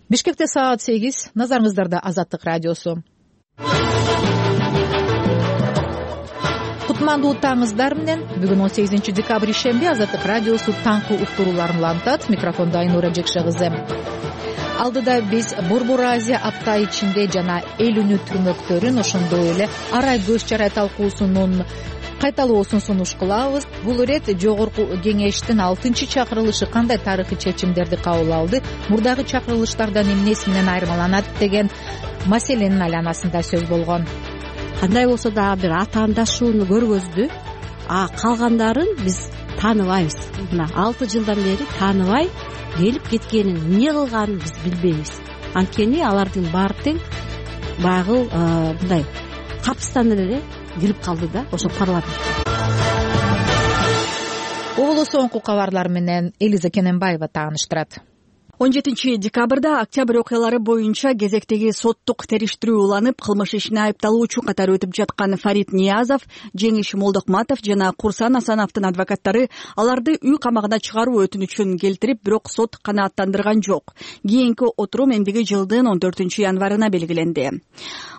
Бишкекте саат 8. Назарыңыздарда Азаттык радиосу. Кутмандуу таңыңыздар менен. Бүгүн 18 декабрь ишемби Азаттык радиосу таңкы уктурууларын улантат. Микрофондо Айнура Жекшегызы. Алдыда биз Борбор Азия апта ичинде жана эл үнү түрмөктөрүн, ошондой эле арай көз чарай талкуусунун кайталоосун сунуш кылабыз. Бул ирет Жогорку кеңештин 6-чакырылышы кандай тарыхый чечимдерди кабыл алды, мурдагы чакырылыштардан эмнеси менен айырмаланат деген маселенин айланасында сөз болгон. Кандай болсо да бир атаандашууну көргөздү, калгандарын биз тааныбайбыз. Мына 6 жылдан бери тааныбай келип кеткенин, эмне кылганын биз билбейбиз. Анткени алардын баары тең баягы мындай капыстан эле кирип калды да ошо парламент. Угулу соңку кабарлар менен Элиза Кененбаева тааныштырат. 17 декабрда октябрь окуялары боюнча кезектеги соттук териштирүү уланып, кылмыш ишине айыпталуучу катары өтүп жаткан Фарид Ниязов, Жеңиш Молдокматов жана Курсан Асановдун адвокаттары аларды үй камагына чыгаруу өтүнүчүн келтирип, бирок сот канааттандырган жок. Кийинки отурум эмдиги жылдын 14 январына белгиленди.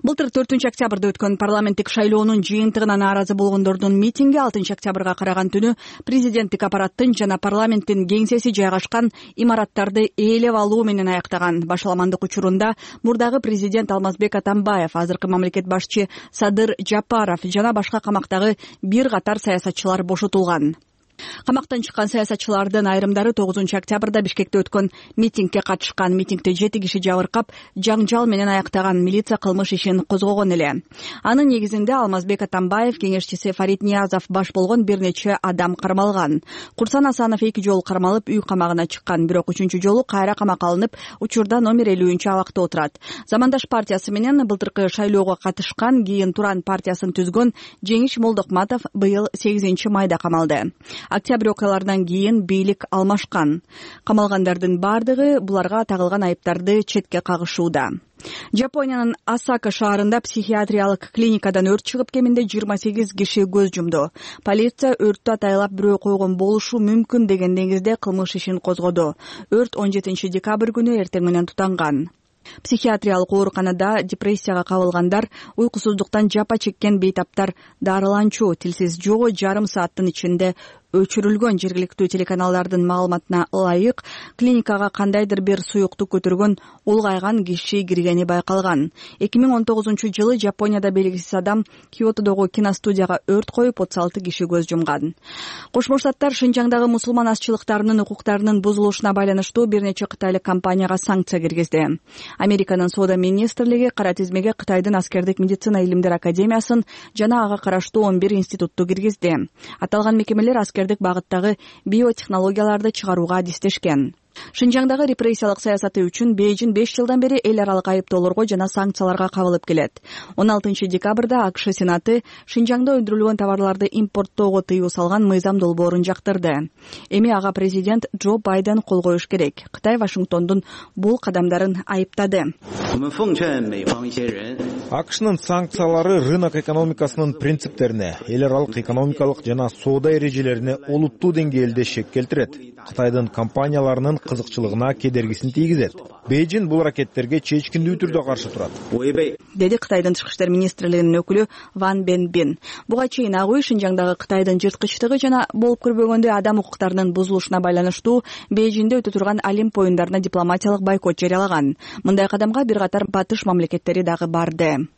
Былтыр 4 октябрда өткөн парламенттик шайлоонун жыйынтыгына нааразы болгондордун митинги 6 октябрга караган түнү президенттик аппараттын жана парламенттин кеңсеси жайгашкан имараттарды ээлеп алуу менен аяктаган. Башаламандык учурунда мурдагы президент Алмазбек Атамбаев, азыркы мамлекет башчы Садыр Жапаров жана башка камактагы бир катар саясатчылар бошотулган. Камактан чыккан саясатчылардын айрымдары 9 октябрда Бишкекте өткөн митингге катышкан. Митингде 7 киши жабыркап, жаңжал менен аяктаган. Милиция кылмыш ишин козгогон эле. Анын негизинде Алмазбек Атамбаев, кеңешчиси Фарид Ниязов баш болгон бир нече адам кармалган. Курсан Асанов 2 жолу кармалып, үй камагына чыккан, бирок 3 жолу кайра камакка алынып, учурда номер 50 абакта отурат. Замандаш партиясы менен былтыркы шайлоого катышкан, кийин Туран партиясын түзгөн Жеңиш Молдокматов быйыл 8 майда камалды. Октябрь окуяларынан кийин бийлик алмашкан. Камалгандардын бардыгы буларга тагылган айыптарды четке кагышууда. Жапониянын Осака шаарында психиатриялык клиникадан өрт чыгып, кеминде 28 киши көз жумду. Полиция өрттү атайлап бирөө койгон болушу мүмкүн деген негизде кылмыш ишин козгоду. Өрт 17 декабрь күнү эртең менен тутанган. Психиатриялык ооруканада депрессияга кабылгандар, уйкусуздуктан жапа чеккен бейтаптар дарыланчу, тилсиз жоо жарым сааттын ичинде өчүрүлгөн. Жергиликтүү телеканалдардын маалыматына ылайык, клиникага кандайдыр бир суюктук көтөргөн улгайган киши киргени байкалган. 2019 жылы Жапонияда белгисиз адам Киотодогу киностудияга өрт коюп, 36 киши көз жумган. Кошмо Штаттар Шинжаңдагы мусулман азчылыктарынын укуктарынын бузулушуна байланыштуу бир нече кытайлык компанияга санкция киргизди. Американын соода министрлиги кара тизмеге Кытайдын аскердик медицина илимдер академиясын жана ага караштуу 11 институтту киргизди. Аталган мекемелер аскердик багыттагы биотехнологияларды чыгарууга адистешкен. Шинжаңдагы репрессиялык саясаты үчүн Бейжин 5 жылдан бери эл аралык айыптоолорго жана санкцияларга кабылып келет. 16 декабрда АКШ Сенаты Шинжаңда өндүрүлгөн товарларды импорттоого тыюу салган мыйзам долбоорун жактырды. Эми ага президент Джо Байден кол коюш керек. Кытай Вашингтондун бул кадамдарын айыптады. АКШнын санкциялары рынок экономикасынын принциптерине, эл аралык экономикалык жана соода эрежелерине олуттуу деңгээлде шек келтирет. Кытайдын компанияларынын кызыкчылыгына кедергисин тийгизет. Бейжин бул аракеттерге чечкиндүү түрдө каршы турат, деди Кытайдын тышкы иштер министрлигинин өкүлү Ван Бенбин. Буга чейин ак үй Шинжаңдагы Кытайдын жырткычтыгы жана болуп көрбөгөндө адам укуктарынын бузулушуна байланыштуу Бейжинде өтө турган Олимп оюндарына дипломатиялык бойкот жарыялаган. Мындай кадамга бир катар батыш мамлекеттери дагы барды.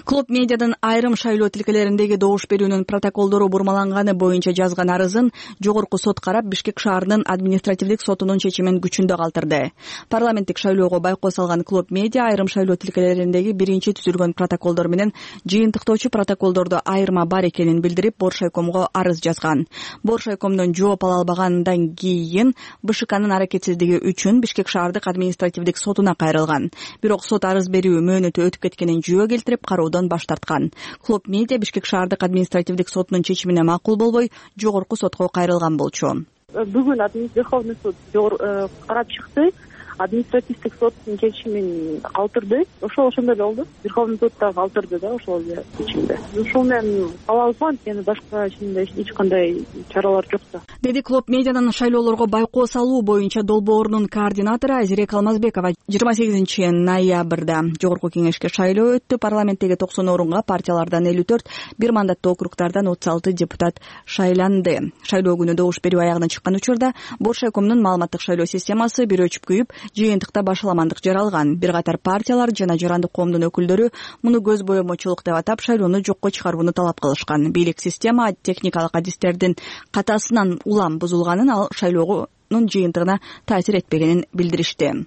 Клуб медиадын айрым шайлоо тилкелериндеги добуш берүүнүн протоколдору бурмаланганы боюнча жазган арызын жогорку сот карап, Бишкек шаарынын административдик сотунун чечимин күчүндө калтырды. Парламенттик шайлоого байкоо салган Клуб медиа айрым шайлоо тилкелериндеги биринчи түзүлгөн протоколдор менен жыйынтыктоочу протоколдордо айырма бар экенин билдирип, Боршайкомго арыз жазган. Боршайкомдон жооп ала албагандан кийин БШКнын аракетсиздиги үчүн Бишкек шаардык административдик сотуна кайрылган. Бирок сот арыз берүү мөөнөтү өтүп кеткенин жөө келтирип, кароодон баш тарткан. Клуб медиа Бишкек шаардык административдик сотунун чечимине макул болбой, жогорку сотко кайрылган болчу. Бүгүн Верховный суд карап чыкты. административдик соттун чечимин калтырды. Ошондой эле болду. Верховный суд да калтырды да ошол эле чечимди. Ушул менен калабыз го, анткени башка эч кандай чаралар жок да. Деди Клоп медианын шайлоолорго байкоо салуу боюнча долбоорунун координатору Азирек Алмазбекова 28 ноябрда жогорку кеңешке шайлоо өттү. Парламенттеги 90 орунга партиялардан 54, бир мандаттуу округдардан 36 депутат шайланды. Шайлоо күнү добуш берүү аягына чыккан учурда Боршайкомдун маалыматтык шайлоо системасы бир өчүп күйүп, жыйынтыкта башаламандык жаралган. Бир катар партиялар жана жарандык коомдун өкүлдөрү муну көз боемочулук деп атап, шайлоону жокко чыгарууну талап кылышкан. Бийлик система техникалык адистердин катасынан улам бузулганын, ал шайлоонун жыйынтыгына таасир этпегенин билдиришти.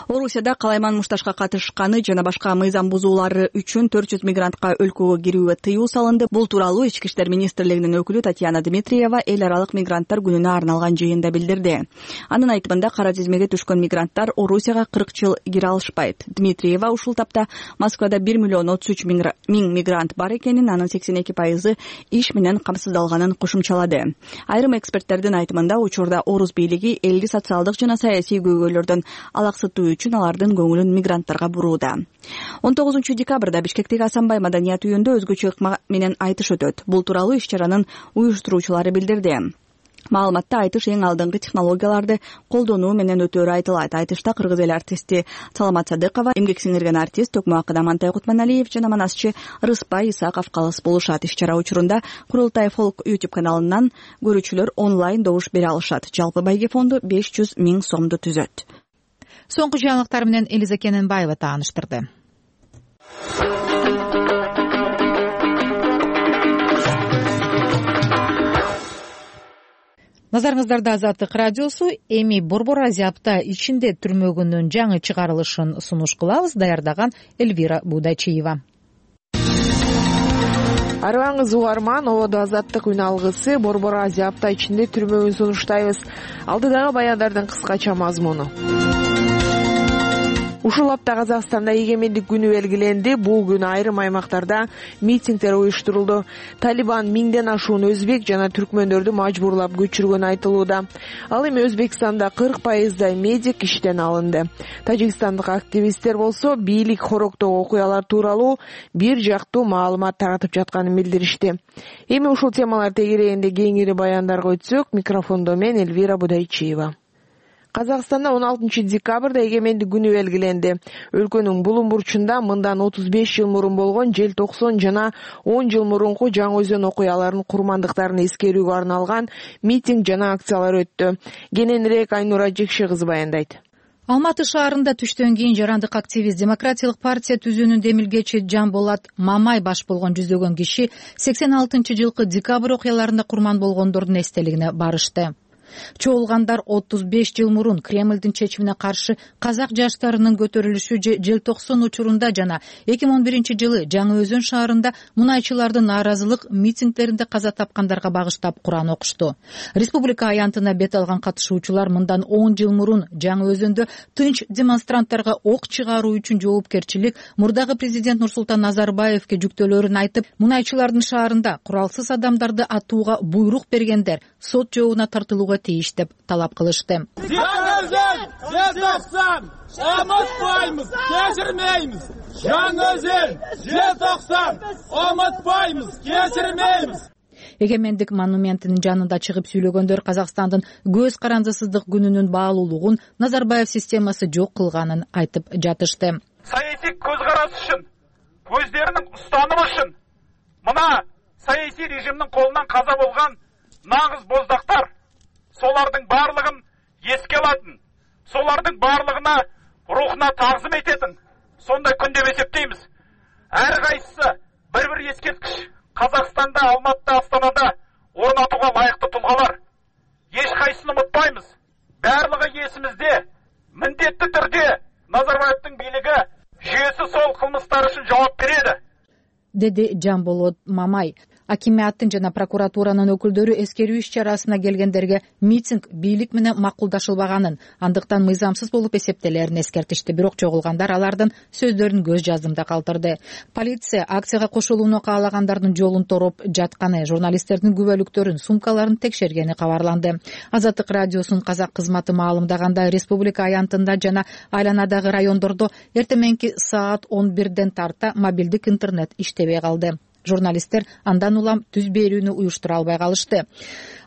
Орусияда калайман мушташка катышканы жана башка мыйзам бузуулары үчүн 400 мигрантка өлкөгө кирүүгө тыюу салынды. Бул тууралуу Ички иштер министрлигинин өкүлү Татьяна Дмитриева эл аралык мигранттар күнүнө арналган жыйында билдирди. Анын айтымында кара тизмеге түшкөн мигранттар Орусияга 40 жыл кире алышпайт. Дмитриева ушул тапта Москвада 1 миллион 33 миң мигрант бар экенин, анын 82% иш менен камсыздалганын кошумчалады. Айрым эксперттердин айтымында учурда Орус бийлиги элди социалдык жана саясий көйгөйлөрдөн алаксытуу үчүн алардын көңүлүн мигранттарга бурууда. 19 декабрда Бишкектеги Асанбай маданият үйүндө өзгөчө ыкма менен айтыш өтөт. Бул тууралуу иш-чаранын уюштуруучулары билдирди. Маалыматта айтыш эң алдыңкы технологияларды колдонуу менен өтөөрү айтылат. Айтышта кыргыз эл артисти Саламат Садыкова, эмгек сиңирген артист Токмуакыда Мантай Кутманалиев жана манасчы Рыспай Исаков калыс болушат. Иш-чара учурунда Курултай Фолк YouTube каналынан көрүүчүлөр онлайн добуш бере алышат. Жалпы байге фонду 500 000 сомду түзөт. Соңку жаңылыктар менен Элиза Кененбаева тааныштырды. Назарыңыздарда Азаттык радиосу. Эми Борбор Азия апта ичинде түрмөгүнүн жаңы чыгарылышын сунуш кылабыз. Даярдаган Эльвира Будачиева. Арыбаңыз угарман, ободо Азаттык үн алгысы Борбор Азия апта ичинде түрмөгүн сунуштайбыз. Алдыдагы баяндардын кыскача мазмуну. Ушул апта Казакстанда эгемендик күнү белгиленди. Бул күнү айрым аймактарда митингдер уюштурулду. Талибан миңден ашуун өзбек жана түркмөндөрдү мажбурлап көчүргөнү айтылууда. Ал эми Өзбекстанда 40% медик иштен алынды. Тажикстандык активисттер болсо бийлик хороктогу окуялар тууралуу бир жактуу маалымат таратып жатканын билдиришти. Эми ушул темалар тегерегинде кеңири баяндарга өтсөк, микрофондо мен Эльвира Будайчиева. Казакстанда 16 декабрда эгемендик күнү белгиленди. Өлкөнүн булум бурчунда мындан 35 жыл мурун болгон желтоқсон жана 10 жыл мурунку Жаңы Өзөн окуяларынын курмандыктарын эскерүүгө арналган митинг жана акциялар өттү. Кененирээк Айнура Жекше кызы баяндайт. Алматы шаарында түштөн кийин жарандык активист Демократиялык партия түзүүнүн демилгечи Жанболат Мамай баш болгон жүздөгөн киши 86-жылкы декабрь окуяларында курман болгондордун эстелигине барышты. Чогулгандар 35 жыл мурун Кремлдин чечимине каршы казак жаштарынын көтөрүлүшү желтоқсон учурунда жана 2011 жылы Жаңы Өзөн шаарында мунайчылардын нааразылык митингдеринде каза тапкандарга багыштап Куран окушту. Республика аянтына бет алган катышуучулар мындан 10 жыл мурун Жаңы Өзөндө тынч демонстранттарга ок чыгаруу үчүн жоопкерчилик мурдагы президент Нурсултан Назарбаевке жүктөөлөрүн айтып, мунайчылардын шаарында куралсыз адамдарды атууга буйрук бергендер сот жообуна тартылууга тийиш деп талап кылышты. Unutmaymiz, geçirmeymiz. Жаңы Өзөн, желтоқсан, unutmaymiz, geçirmeymiz. Эгемендик монументинин жанында чыгып сүйлөгөндөр Казакстандын көз карандысыздык күнүнүн баалуулугун Назарбаев системасы жок кылганын айтып жатышты. Саясий көз карасы үчүн, өздеринин устанымы үчүн мына саясий режимдин колунан каза болгон нагыз боздактар солардын барлыгын эске алатын, солардын барлыгына рухуна тағзым ететін сондай күн деп есептейміз. Әр қайсысы бір ескерткіш Қазақстанда, Алматыда, Астанада орнатуға лайықты тұлғалар. Еш қайсысын ұмытпаймыз. Барлығы есімізде, міндетті түрде Назарбаевтың билігі жүйесі сол қылмыстар үшін жауап береді. Деди Жанболот Мамай. Акиматтын жана прокуратуранын өкүлдөрү эскерүү иш чарасына келгендерге митинг бийлик менен макулдашылбаганын, андыктан мыйзамсыз болуп эсептелерин эскертишти. Бирок чогулгандар алардын сөздөрүн көз жаздымда калтырды. Полиция акцияга кошулууну каалагандардын жолун тороп жатканы, журналисттердин күбөлүктөрүн, сумкаларын текшергени кабарланды. Азаттык радиосунун казак кызматы маалымдагандай, республика аянтында жана айланадагы райондордо эртең саат 11ден тарта мобилдик интернет иштебей калды. Журналисттер андан улам түз берүүнү уюштура албай калышты.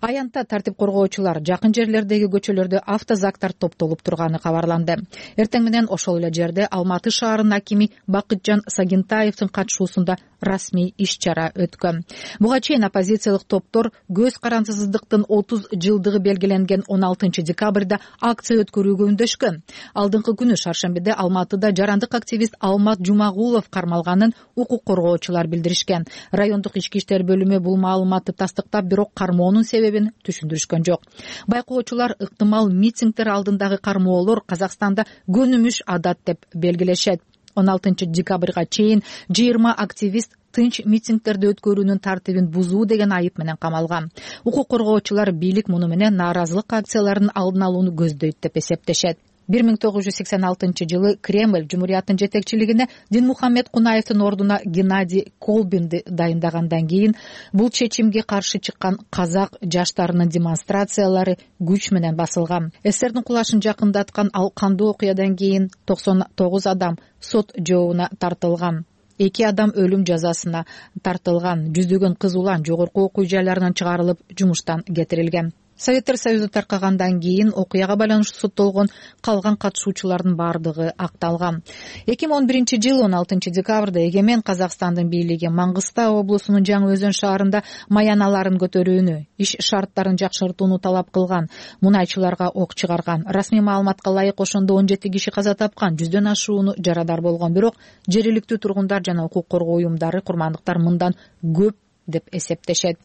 Аянтта тартип коргоочулар жакын жерлердеги көчөлөрдө автозактар топтолуп турганы кабарланды. Эртең менен ошол эле жерде Алматы шаарынын акими Бакытжан Сагинтаевдин катышуусунда расмий иш-чара өткөн. Буга чейин оппозициялык топтор көз карансыздыктын 30 жылдыгы белгиленген 16 декабрда акция өткөрүүгө үндөшкөн. Алдыңкы күнү шаршембиде Алматыда жарандык активист Алмат Жумагулов кармалганын укук коргоочулар билдиришкен. Райондук ички иштер бөлүмү бул маалыматты тастыктап, бирок кармоонун себебин түшүндүрүшкөн жок. Байкоочулар ыктымал митингдер алдындагы кармоолор Казакстанда көнүмүш адат деп белгилешет. 16 декабрга чейин 20 активист тынч митингдерди өткөрүүнүн тартибин бузуу деген айып менен камалган. Укук коргоочулар бийлик муну менен нааразылык акцияларынын алдын алууну көздөйт деп эсептешет. 1986 жылы Кремль Жумурияттын жетекчилигине Динмухаммед Кунаевдин ордуна Геннадий Колбинди дайындагандан кийин бул чечимге каршы чыккан казак жаштарынын демонстрациялары күч менен басылган. ССРдин кулашын жакындаткан ал кандуу окуядан кийин 99 адам сот жообуна тартылган. 2 адам өлүм жазасына тартылган. Жүздөгөн кыз улан жогорку окуу жайларынан чыгарылып, жумуштан кетирилген. Советтер Союзу таркагандан кийин окуяга байланыштуу соттолгон калган катышуучулардын бардыгы акталган. 2011 жылы 16 декабрда Эгемен Казакстандын бийлиги Маңгыстау облусунун Жаңы Өзөн шаарында маяналарын көтөрүүнү, иш шарттарын жакшыртууну талап кылган. Мунайчыларга ок чыгарган. Расмий маалыматка ылайык ошондо 17 киши каза тапкан, 100дөн ашууну жарадар болгон. Бирок жергиликтүү тургундар жана укук коргоо уюмдары курмандыктар мындан көп деп эсептешет.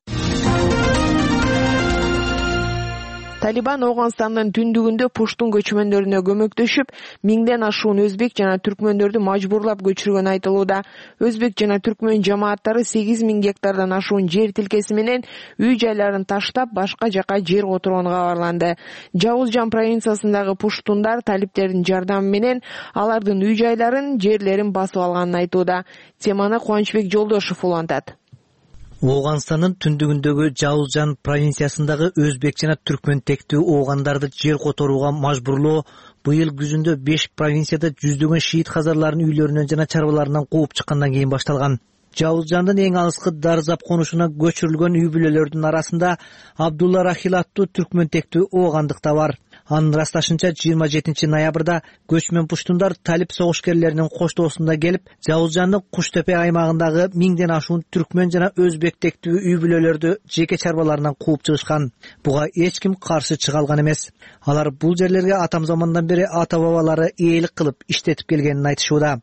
Талибан Ооганстандын түндүгүндө пуштун көчмөндөрүнө көмөктөшүп, миңден ашуун өзбек жана түркмөндөрдү мажбурлап көчүргөнү айтылууда. Өзбек жана түркмөн жамааттары 8000 гектардан ашуун жер тилкеси менен үй жайларын таштап, башка жака жер которгону кабарланды. Жауызжан провинциясындагы пуштундар талиптердин жардамы менен алардын үй жайларын, жерлерин басып алганын айтууда. Теманы Кубанычбек Жолдошов улантат. Ооганстандын түндүгүндөгү Жауызжан провинциясындагы өзбек жана түркмөн тектүү оогандарды жер которууга мажбурлоо быйыл күзүндө 5 провинцияда жүздөгөн шиит казарларын үйлөрүнөн жана чарбаларынан кууп чыккандан кийин башталган. Жауызжандын эң алыскы Дарзап конушуна көчүрүлгөн үй бүлөлөрдүн арасында Абдулла Рахил аттуу түркмөн тектүү оогандык да бар. Анын ырасташынча 27 ноябрда көчмөн пуштундар талип согушкерлеринин коштоосунда келип, Жауызжандын Куштепе аймагындагы 1000ден ашуун түркмөн жана өзбек тектүү үй бүлөлөрдү жеке чарбаларынан кууп чыгышкан. Буга эч ким каршы чыга алган эмес. Алар бул жерлерге атам замандан бери ата бабалары ээлик кылып иштетип келгенин айтышууда.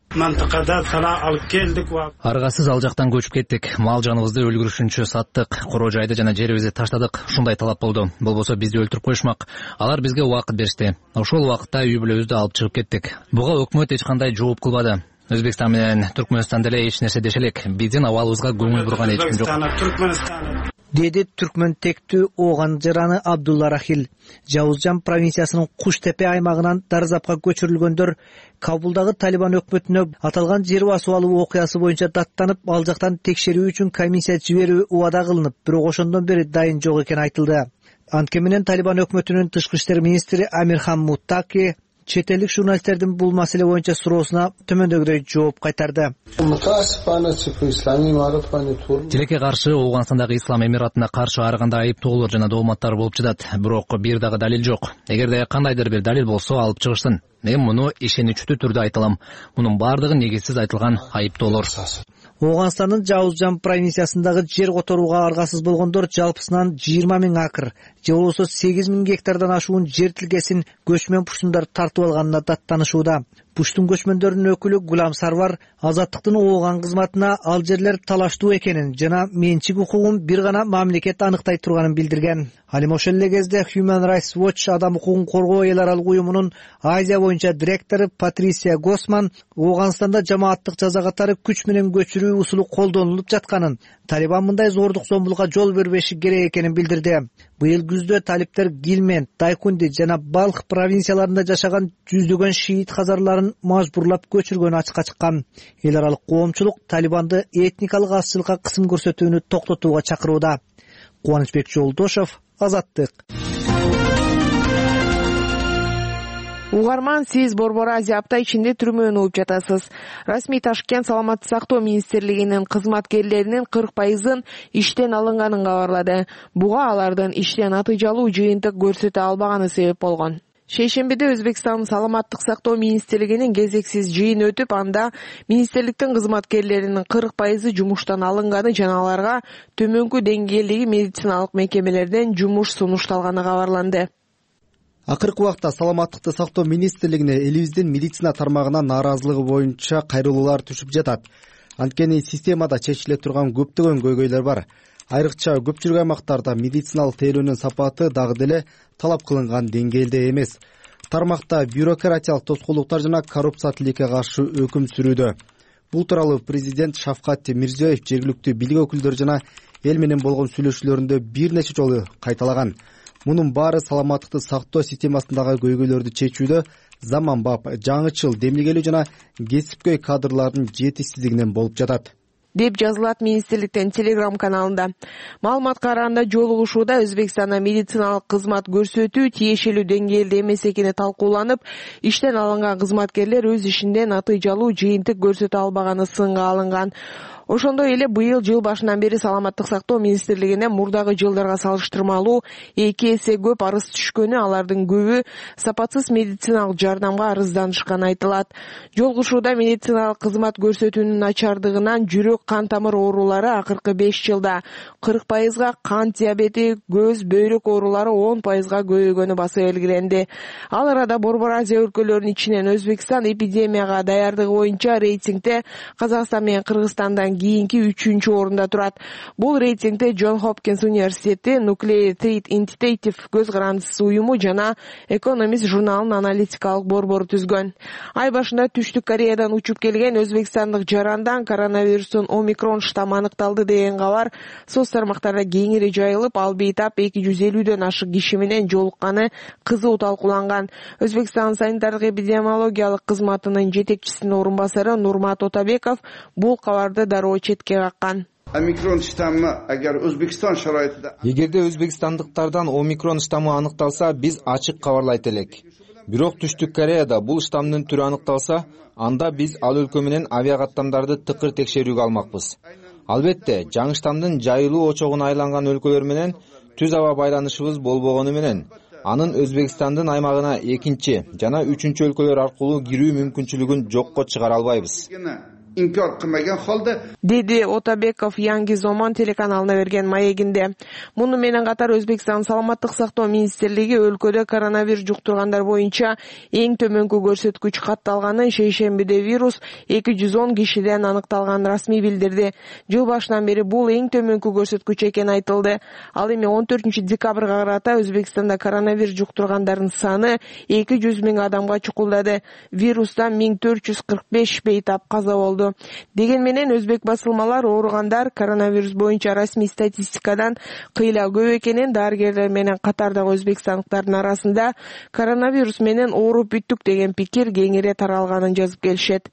Аргасыз ал жактан көчүп кеттик. Мал жаныбызды өлгүрүшүнчө саттык, короо жайды жана жерибизди таштадык. Ушундай талап болду. Болбосо бизди өлтүрүп коюшмак. Алар бизге убакыт беришти. Ошол убакытта үй бүлөбүздү алып чыгып кеттик. Буга өкмөт эч кандай жооп кылбады. Өзбекстан менен Түркмөнстан деле эч нерсе деше элек. Биздин абалыбызга көңүл бурган эч ким жок. Деди түркмөн тектүү ооган жараны Абдулла Рахил. Жауызжан провинциясынын Куштепе аймагынан Дарзапка көчүрүлгөндөр Кабулдагы Талибан өкмөтүнө аталган жер басып алуу окуясы боюнча даттанып, ал жактан текшерүү үчүн комиссия жиберүү убада кылынып, бирок ошондон бери дайын жок экени айтылды. Анткени менен Талибан өкмөтүнүн тышкы иштер министри Амирхан Муттаки чет элдик журналисттердин бул маселе боюнча суроосуна төмөндөгүдөй жооп кайтарды. Тилекке каршы Ооганстандагы Ислам Эмиратына каршы ар кандай айыптоолор жана дооматтар болуп жатат. Бирок бир дагы далил жок. Эгерде кандайдыр бир далил болсо алып чыгышсын. Мен муну ишеничтүү түрдө айталам. Мунун бардыгы негизсиз айтылган айыптоолор. Ооганстандын Жауызжан провинциясындагы жер которууга аргасыз болгондор жалпысынан 20 000 акр, же болбосо 8 000 гектардан ашуун жер тилкесин көчмөн пуштундар тартып алганына даттанышууда. Пуштун көчмөндөрүнүн өкүлү Гулам Сарвар Азаттыктын ооган кызматына ал жерлер талаштуу экенин жана менчик укугун бир гана мамлекет аныктай турганын билдирген. Ал эми ошол эле кезде Human Rights Watch адам укугун коргоо эл аралык уюмунун Азия боюнча директору Патрисия Госман Ооганстанда жамааттык жаза катары күч менен көчүрүү усулу колдонулуп жатканын, Талибан мындай зордук зомбулукка жол бербеши керек экенин билдирди. Быйыл күздө талиптер Гилмен, Дайкунди жана Балх провинцияларында жашаган жүздөгөн шиит хазарларын мажбурлап көчүргөнү ачыкка чыккан. Эл аралык коомчулук Талибанды этникалык азчылыкка кысым көрсөтүүнү токтотууга чакырууда. Кубанычбек Жолдошов, Азаттык. Угарман, сиз Борбор Азия апта ичинде түрмөнү угуп жатасыз. Расмий Ташкент Саламаттык сактоо министрлигинин кызматкерлеринин 40% иштен алынганын кабарлады. Буга алардын иштен натыйжалуу жыйынтык көрсөтө албаганы себеп болгон. Шейшембиде Өзбекстандын Саламаттык сактоо министрлигинин кезексиз жыйын өтүп, анда министрликтин кызматкерлеринин 40% жумуштан алынганы жана аларга төмөнкү деңгээлдеги медициналык мекемелерден жумуш сунушталганы кабарланды. Акыркы убакта Саламаттыкты сактоо министрлигине элибиздин медицина тармагына нааразылыгы боюнча кайрылуулар түшүп жатат. Анткени системада чечиле турган көптөгөн көйгөйлөр бар. Айрыкча көпчүлүк аймактарда медициналык тейлөөнүн сапаты дагы деле талап кылынган деңгээлде эмес. Тармакта бюрократиялык тоскоолдуктар жана коррупция тилекке каршы өкүм сүрүүдө. Бул тууралуу президент Шавкат Мирзиёев жергиликтүү бийлик өкүлдөрү жана эл менен болгон сүйлөшүүлөрүндө бир нече жолу кайталаган. Мунун баары саламаттыкты сактоо системасындагы көйгөйлөрдү чечүүдө заманбап, жаңычыл, демилгелүү жана кесипкөй кадрлардын жетишсиздигинен болуп жатат, деп жазылат министрликтин Telegram каналында. Маалыматка караганда жолугушууда Өзбекстанда медициналык кызмат көрсөтүү тиешелүү деңгээлде эмес экени талкууланып, иштен алынган кызматкерлер өз ишинде натыйжалуу жыйынтык көрсөтө албаганы сынга алынган. Ошондой эле быйыл жыл башынан бери Саламаттык сактоо министрлигине мурдагы жылдарга салыштырмалуу 2 эсе көп арыз түшкөнү, алардын көбү сапатсыз медициналык жардамга арызданышканы айтылат. Жолугушууда медициналык кызмат көрсөтүүнүн начардыгынан жүрөк кан тамыр оорулары акыркы 5 жылда 40%, кант диабети, көз, бөйрөк оорулары 10%га көбөйгөнү баса белгиленди. Ал арада Борбор Азия өлкөлөрүнүн ичинен Өзбекстан эпидемияга даярдыгы боюнча рейтингде Казакстан менен Кыргызстандан кийинки 3-орунда турат. Бул рейтингде Джон Хопкинс университети, Nuclear Threat Initiative көз карандысыз уюму жана Economist журналынын аналитикалык борбору түзгөн. Ай башында Түштүк Кореядан учуп келген өзбекстандык жарандан коронавирустун омикрон штаммы аныкталды деген кабар соц тармактарда кеңири жайылып, ал бейтап 250дөн ашык киши менен жолукканы кызуу талкууланган. Өзбекстан санитардык эпидемиологиялык кызматынын жетекчисинин орун басары Нурмат Отабеков бул кабарды дароо четке каккан. Омикрон штаммы агар Өзбекстан шарайтында эгерде өзбекстандыктардан омикрон штаммы аныкталса, биз ачык кабарлайт элек. Бирок Түштүк Кореяда бул штаммдын түрү аныкталса, анда биз ал өлкө менен авиакаттамдарды тыкыр текшерүүгө алмакпыз. Албетте, жаңы штаммдын жайылуу очогуна айланган өлкөлөр менен түз аба байланышыбыз болбогону менен анын Өзбекстандын аймагына экинчи жана үчүнчү өлкөлөр аркылуу кирүү мүмкүнчүлүгүн жокко чыгара албайбыз, инкар кылмаган халда, деди Отабеков Yangi Zaman телеканалына берген маегинде. Муну менен катар Өзбекстан Саламаттык сактоо министрлиги өлкөдө коронавирус жуктургандар боюнча эң төмөнкү көрсөткүч катталганын, шейшембиде вирус 210 кишиден аныкталганын расмий билдирди. Жыл башынан бери бул эң төмөнкү көрсөткүч экени айтылды. Ал эми 14-декабрга карата Өзбекстанда коронавирус жуктургандардын саны 200 миң адамга чукулдады. Вирустан 1445 бейтап каза болду. Деген менен өзбек басылмалар ооругандар коронавирус боюнча расмий статистикадан кыйла көп экенин, дарыгерлер менен катардагы өзбекстандыктардын арасында коронавирус менен ооруп бүттүк деген пикир кеңири таралганын жазып келишет.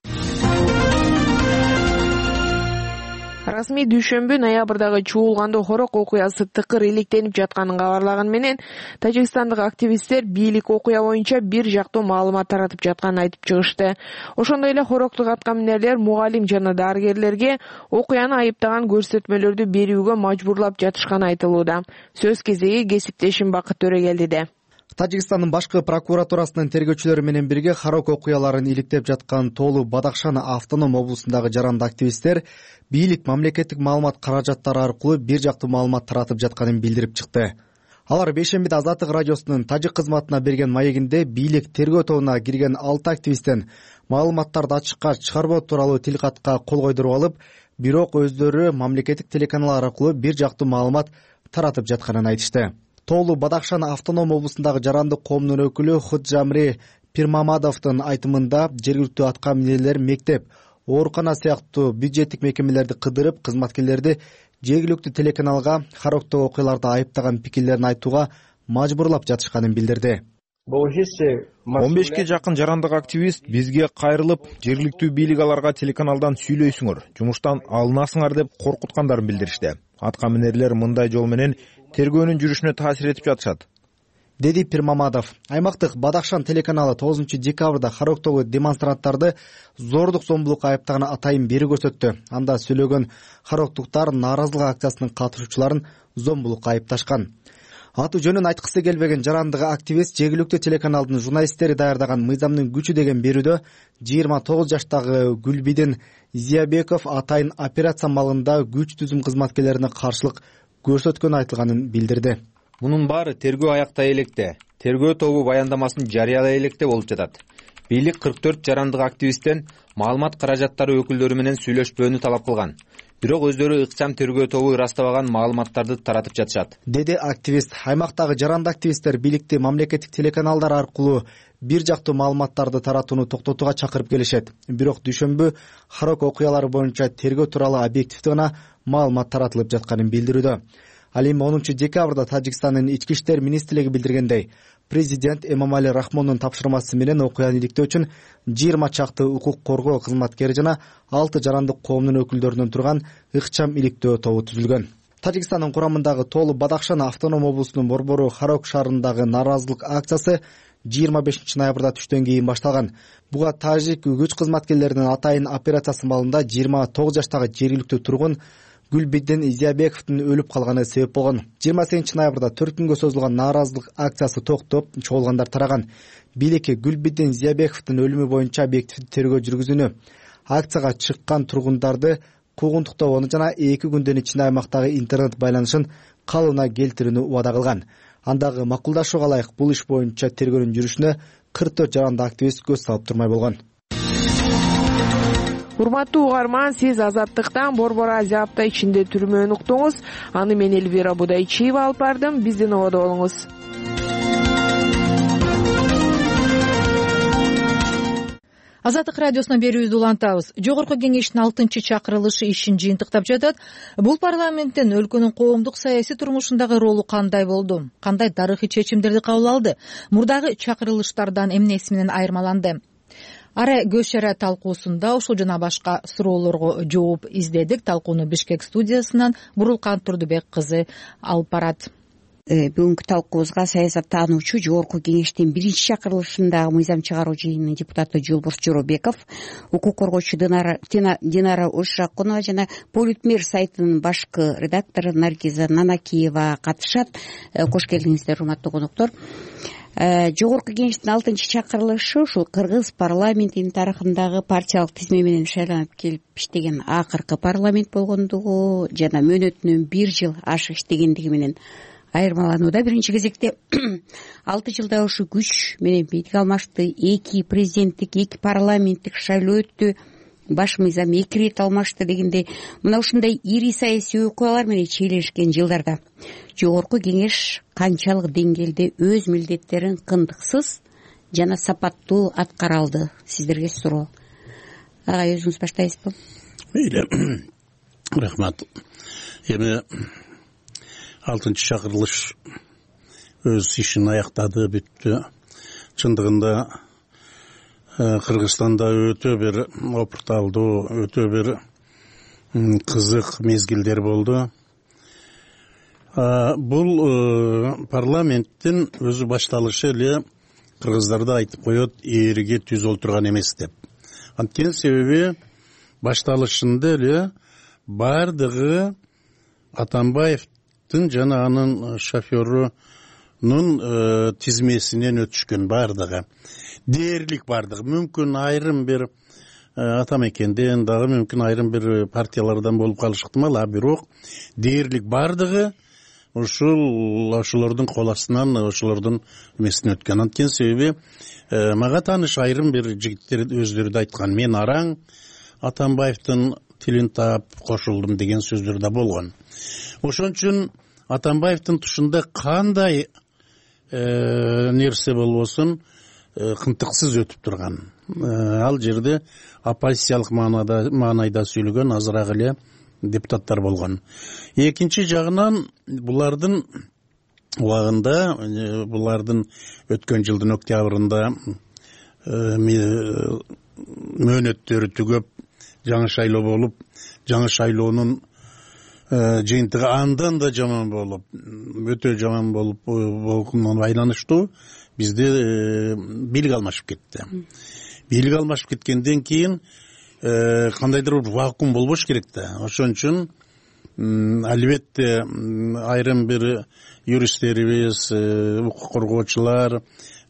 Расмий дүйшөмбү ноябрдагы чуулгандоо хорок окуясы тыкыр иликтенип жатканын кабарлаган менен тажикстандык активисттер бийлик окуя боюнча бир жактуу маалымат таратып жатканын айтып чыгышты. Ошондой эле хороктук аткаминерлер мугалим жана дарыгерлерге окуяны айыптаган көрсөтмөлөрдү берүүгө мажбурлап жатышканы айтылууда. Сөз кезеги кесиптешим Бакыт Төрөгелдиде. Тажикстандын башкы прокуратурасынын тергөөчүлөрү менен бирге хорок окуяларын иликтеп жаткан Тоолу Бадакшан автоном облусундагы жаранды активисттер бийлик мамлекеттик маалымат каражаттары аркылуу бир жактуу маалымат таратып жатканын билдирип чыкты. Алар бейшембиде Азаттык радиосунун тажик кызматына берген маегинде бийлик тергөө тобуна кирген 6 активисттен маалыматтарды ачыкка чыгарбоо тууралуу тилкатка кол койдуруп алып, бирок өздөрү мамлекеттик телеканалдар аркылуу бир жактуу маалымат таратып жатканын айтышты. Тоолу Бадахшан автоном облусундагы жарандык коомдун өкүлү Худжамри Пирмамадовдун айтымында жергиликтүү атка минерлер мектеп, оорукана сыяктуу бюджеттик мекемелерди кыдырып, кызматкерлерди жергиликтүү телеканалга Характагы окуяларды айыптаган пикирлерин айтууга мажбурлап жатышканын билдирди. 15 жакын жарандык активист бизге кайрылып, жергиликтүү бийлик аларга телеканалдан сүйлөйсүңөр, жумуштан алынасыңар деп коркуткандарын билдиришти. Атка минерлер мындай жол менен тергөөнүн жүрүшүнө таасир этип жатышат, деди Пирмамадов. Аймактык Бадахшан телеканалы 9 декабрда Характагы демонстранттарды зордук зомбулукка айыптаган атайын бери көрсөттү. Анда сүйлөгөн характуктар нааразылык акциясынын катышуучуларын зомбулукка айыпташкан. Аты жөнүн айткысы келбеген жарандык активист жергиликтүү телеканалдын журналисттери даярдаган «Мыйзамдын күчү» деген берүүдө 29 жаштагы Гүлбидин Зиябеков атайын операция малында күч түзүм кызматкерлерине каршылык көрсөткөнү айтылганын билдирди. Мунун баары тергөө аяктай электе, тергөө тобу баяндамасын жарыялай электе болуп жатат. Бийлик 44 жарандык активисттен маалымат каражаттары өкүлдөрү менен сүйлөшпөөнү талап кылган. Бирок өздөрү ыкчам тергөө тобу ырастабаган маалыматтарды таратып жатышат, деди активист. Аймактагы жарандык активисттер бийликти мамлекеттик телеканалдар аркылуу бир жактуу маалыматтарды таратууну токтотууга чакырып келишет. Бирок дүйшөмбү Харок окуялары боюнча тергөө тууралуу объективдүү гана маалымат таратылып жатканын билдирүүдө. Ал эми 10 декабрда Тажикстандын ички иштер министрлиги билдиргендей, президент Эмомали Рахмондун тапшырмасы менен окуяны иликтөө үчүн 20 чакты укук коргоо кызматкери жана 6 жарандык коомдун өкүлдөрүнөн турган ыкчам иликтөө тобу түзүлгөн. Тажикстандын курамындагы Тоолу Бадахшан автоном облусунун борбору Харок шаарындагы нааразылык акциясы 25 ноябрда түштөн кийин башталган. Буга тажик күч кызматкерлеринин атайын операциясы маалында 29 жаштагы жергиликтүү тургун Гүлбидин Зиябековдун өлүп калганы себеп болгон. 28 ноябрда 4 күнгө созулган нааразылык акциясы токтоп, чогулгандар тараган. Бийлик Гүлбидин Зиябековдун өлүмү боюнча объективдүү тергөө жүргүзүүнү, акцияга чыккан тургундарды куугунтуктоону жана 2 күндөн ичинде аймактагы интернет байланышын калыбына келтирүүнү убада кылган. Андагы макулдашууга ылайык бул иш боюнча тергөөнүн жүрүшүнө 44 жарандык активист көз салып турмай болгон. Урматтуу угарман, сиз Азаттыктан Борбор Азия апта ичинде түрмөнү уктуңуз. Аны мен Элвира Будайчиева алып бардым. Биздин ободо болуңуз. Азаттык радиосунан берүүбүздү улантабыз. Жогорку кеңештин 6-чакырылышы ишин жыйынтыктап жатат. Бул парламенттин өлкөнүн коомдук саясий турмушундагы ролу кандай болду? Кандай тарыхый чечимдерди кабыл алды? Мурдагы чакырылыштардан эмнеси менен айырмаланды? Ара көз чара талкуусунда ушул жана башка суроолорго жооп издедик. Талкууну Бишкек студиясынан Бурулкан Турдубек кызы алып барат. Бүгүнкү талкуубузга саясаттануучу Жогорку кеңештин 1-чакырылышындагы мыйзам чыгаруу жыйынынын депутаты Жолборс Жоробеков, укук коргоочу Динара Ошакунова жана Политмир сайтынын башкы редактору Наргиза Нанакиева катышат. Кош келиңиздер, урматтуу коноктор. Жогорку кеңештин 6-чакырылышы ушул Кыргыз парламентинин тарыхындагы партиялык тизме менен шайланып келип иштеген акыркы парламент болгондугу жана мөөнөтүнөн 1 жыл ашык иштегендиги менен айырмаланууда. Биринчи кезекте 6 жылда ушу күч менен бийлик алмашты, 2 президенттик, 2 парламенттик шайлоо өттү, баш мыйзам 2 ирет алмашты дегендей, мына ушундай ири саясий окуялар менен чийлешкен жылдарда Жогорку кеңеш канчалык деңгээлде өз милдеттерин кындыксыз жана сапаттуу аткара алды? Сиздерге суроо. Агай, өзүңүз баштайсызбы? Мейли. Рахмат. Эми 6-чакырылыш өз ишин аяктады, бүттү. Чындыгында Кыргызстанда өтө бир опурталдуу, өтө бир кызык мезгилдер болду. Бул парламенттин өзү башталышы эле кыргыздарды айтып коет, ээриге түз олтурган эмес деп. Анткени себеби башталышында эле бардыгы Атамбаевдин жана анын шоферунун тизмесинен өтүшкөн, бардыгы. Дээрлик бардыгы. Мүмкүн айрым бир Атамекенден дагы, мүмкүн айрым бир партиялардан болуп калышы ыктымал, бирок дээрлик бардыгы ошолордун кол астынан ошолордун эмесинен өткөн. Анткени себеби мага тааныш айрым бир жигиттер өздөрү да айткан, мен араң Атамбаевдин тилин таап кошулдум деген сөздөр да болгон. Ошон үчүн Атамбаевдин тушунда кандай нерсе болбосун кынтыксыз өтүп турган. Ал жерде оппозициялык маанайда сүйлөгөн азыраак эле депутаттар болгон. Экинчи жагынан булардын убагында, булардын өткөн жылдын октябрында мөөнөттөрү түгөп, жаңы шайлоо болуп, жаңы шайлоонун жыйынтыгы андан да жаман болуп, өтө жаман болуп болгонуна байланыштуу бизде бийлик алмашып кетти. Бийлик алмашып кеткенден кийин кандайдыр бир вакуум болбош керек да. Ошон үчүн албетте айрым бир юристтерибиз, укук коргоочулар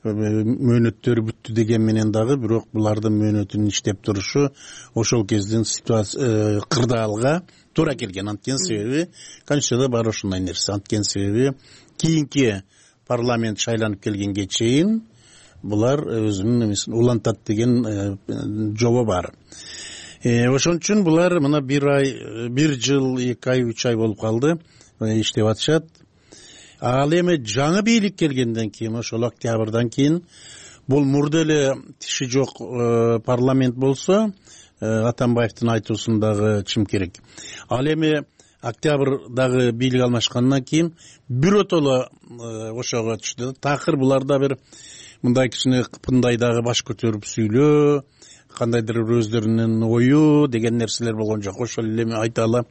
мөөнөттөрү бүттү деген менен дагы, бирок булардын мөөнөтүнүн иштеп турушу ошол кездин ситуация кырдаалга туура келген. Анткени себеби Конституцияда бар ошондой нерсе. Анткени себеби кийинки парламент шайланып келгенге чейин булар өзүнүн эмесин улантат деген жобо бар. Ошон үчүн булар мына 1 ай, 1 жыл, 2 ай, 3 ай болуп калды, иштеп атышат. Ал эми жаңы бийлик келгенден кийин, ошол октябрдан кийин бул мурда эле тиши жок парламент болсо, Атамбаевдин айтуусундагы чим керек. Ал эми октябрдагы бийлик алмашкандан кийин биротоло ошого түштү. Такыр буларда бир мындай кичине кыпындай дагы баш көтөрүп сүйлөө, кандайдыр өздөрүнүн ою деген нерселер болгон жок. Ошол эле мен айта алам.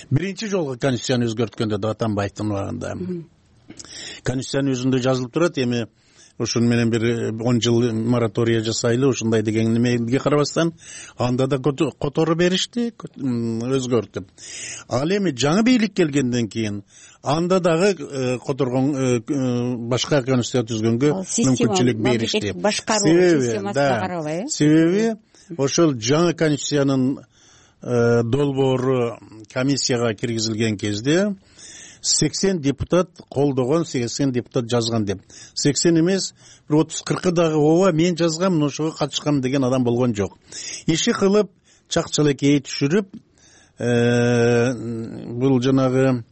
Биринчи жолу Конституцияны өзгөрткөндө да Атамбаевдин убагында. Конституциянын өзүндө жазылып турат, эми ошону менен бир 10 жыл моратория жасайлы, ушундай деген немеге карабастан анда да которо беришти, өзгөртүп. Ал эми жаңы бийлик келгенден кийин анда дагы которгон башка конституция түзгөнгө мүмкүнчүлүк беришти. Себеби ошол жаңы конституциянын долбоору комиссияга киргизилген кезде 80 депутат колдогон, 80 депутат жазган деп. 80 эмес, 30-40 дагы ооба мен жазгам, ошого катышкам деген адам болгон жок. Иши кылып, чакчалекей түшүрүп, бул жанагы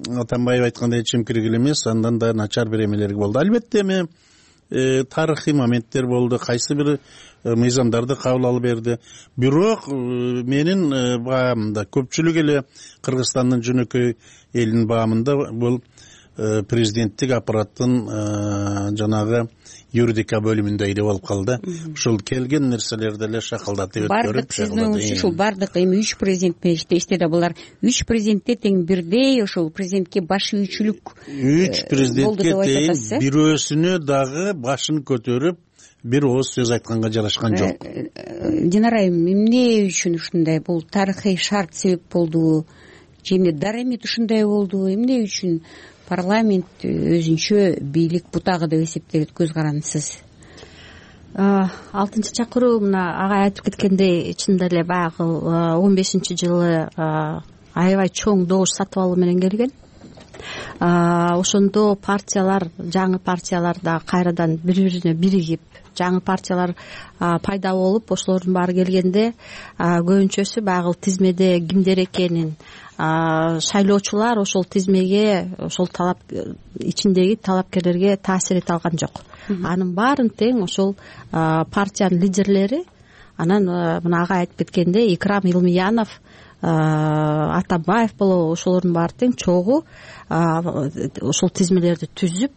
Атамбаев айткандай чимкирик эле эмес, андан да начар бир эмелер болду. Албетте эми тарыхый моменттер болду, кайсы бир мыйзамдарды кабыл алып берди. Бирок менин баамда көпчүлүк эле Кыргызстандын жөнөкөй элинин баамында бул президенттик аппараттын жанагы юридика бөлүмүндө эле болуп калды. Ушул келген нерселерди эле шакалдатып өткөрүп. Бардык сиздин оюңузча ушул бардык эми 3 президент иштешти да, булар 3 президентте тең бирдей ошол президентке баш ийүүчүлүк 3 президентке тең бирөөсүнө дагы башын көтөрүп бир ооз сөз айтканга жарашкан жок. Динара айым, эмне үчүн ушундай? Бул тарыхый шарт себеп болдубу? Же дарамет ушундай болдубу? Эмне үчүн парламент өзүнчө бийлик бутагы деп эсептейт? Көз карандысыз. 6-чакыруу мына ага айтып кеткендей, чынында эле баягы 15-жылы аябай чоң добуш сатып алуу менен келген. Ошондо партиялар, жаңы партиялар да кайрадан бири-бирине биригип, жаңы партиялар пайда болуп, ошолордун баары келгенде көбүнчөсү баягы тизмеде кимдер экенин, шайлоочулар ошол тизмеге, ошол талап ичиндеги талапкерлерге таасир эте алган жок. Анын баарын тең ошол партиянын лидерлери, анан мына ага айтып кеткендей Икрам Илмиянов, Атамбаев болобу, ошолордун баары тең чогуу ошол тизмелерди түзүп,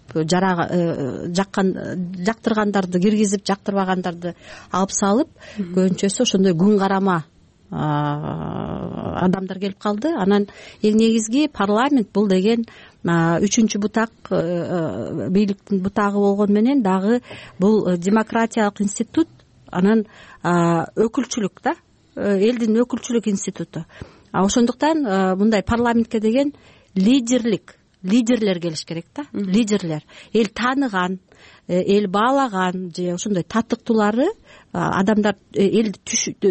жактыргандарды киргизип, жактырбагандарды алып салып, көбүнчөсү ошондой күн карама адамдар келип калды. Анан эң негизги парламент бул деген 3-чү бутак, бийликтин бутагы болгон менен дагы бул демократиялык институт, анан өкүлчүлүк да, элдин өкүлчүлүк институту. Ошондуктан мындай парламентке деген лидерлер келиш керек да, лидерлер. Эл тааныган, эл баалаган же ошондой татыктуулары адамдар, элди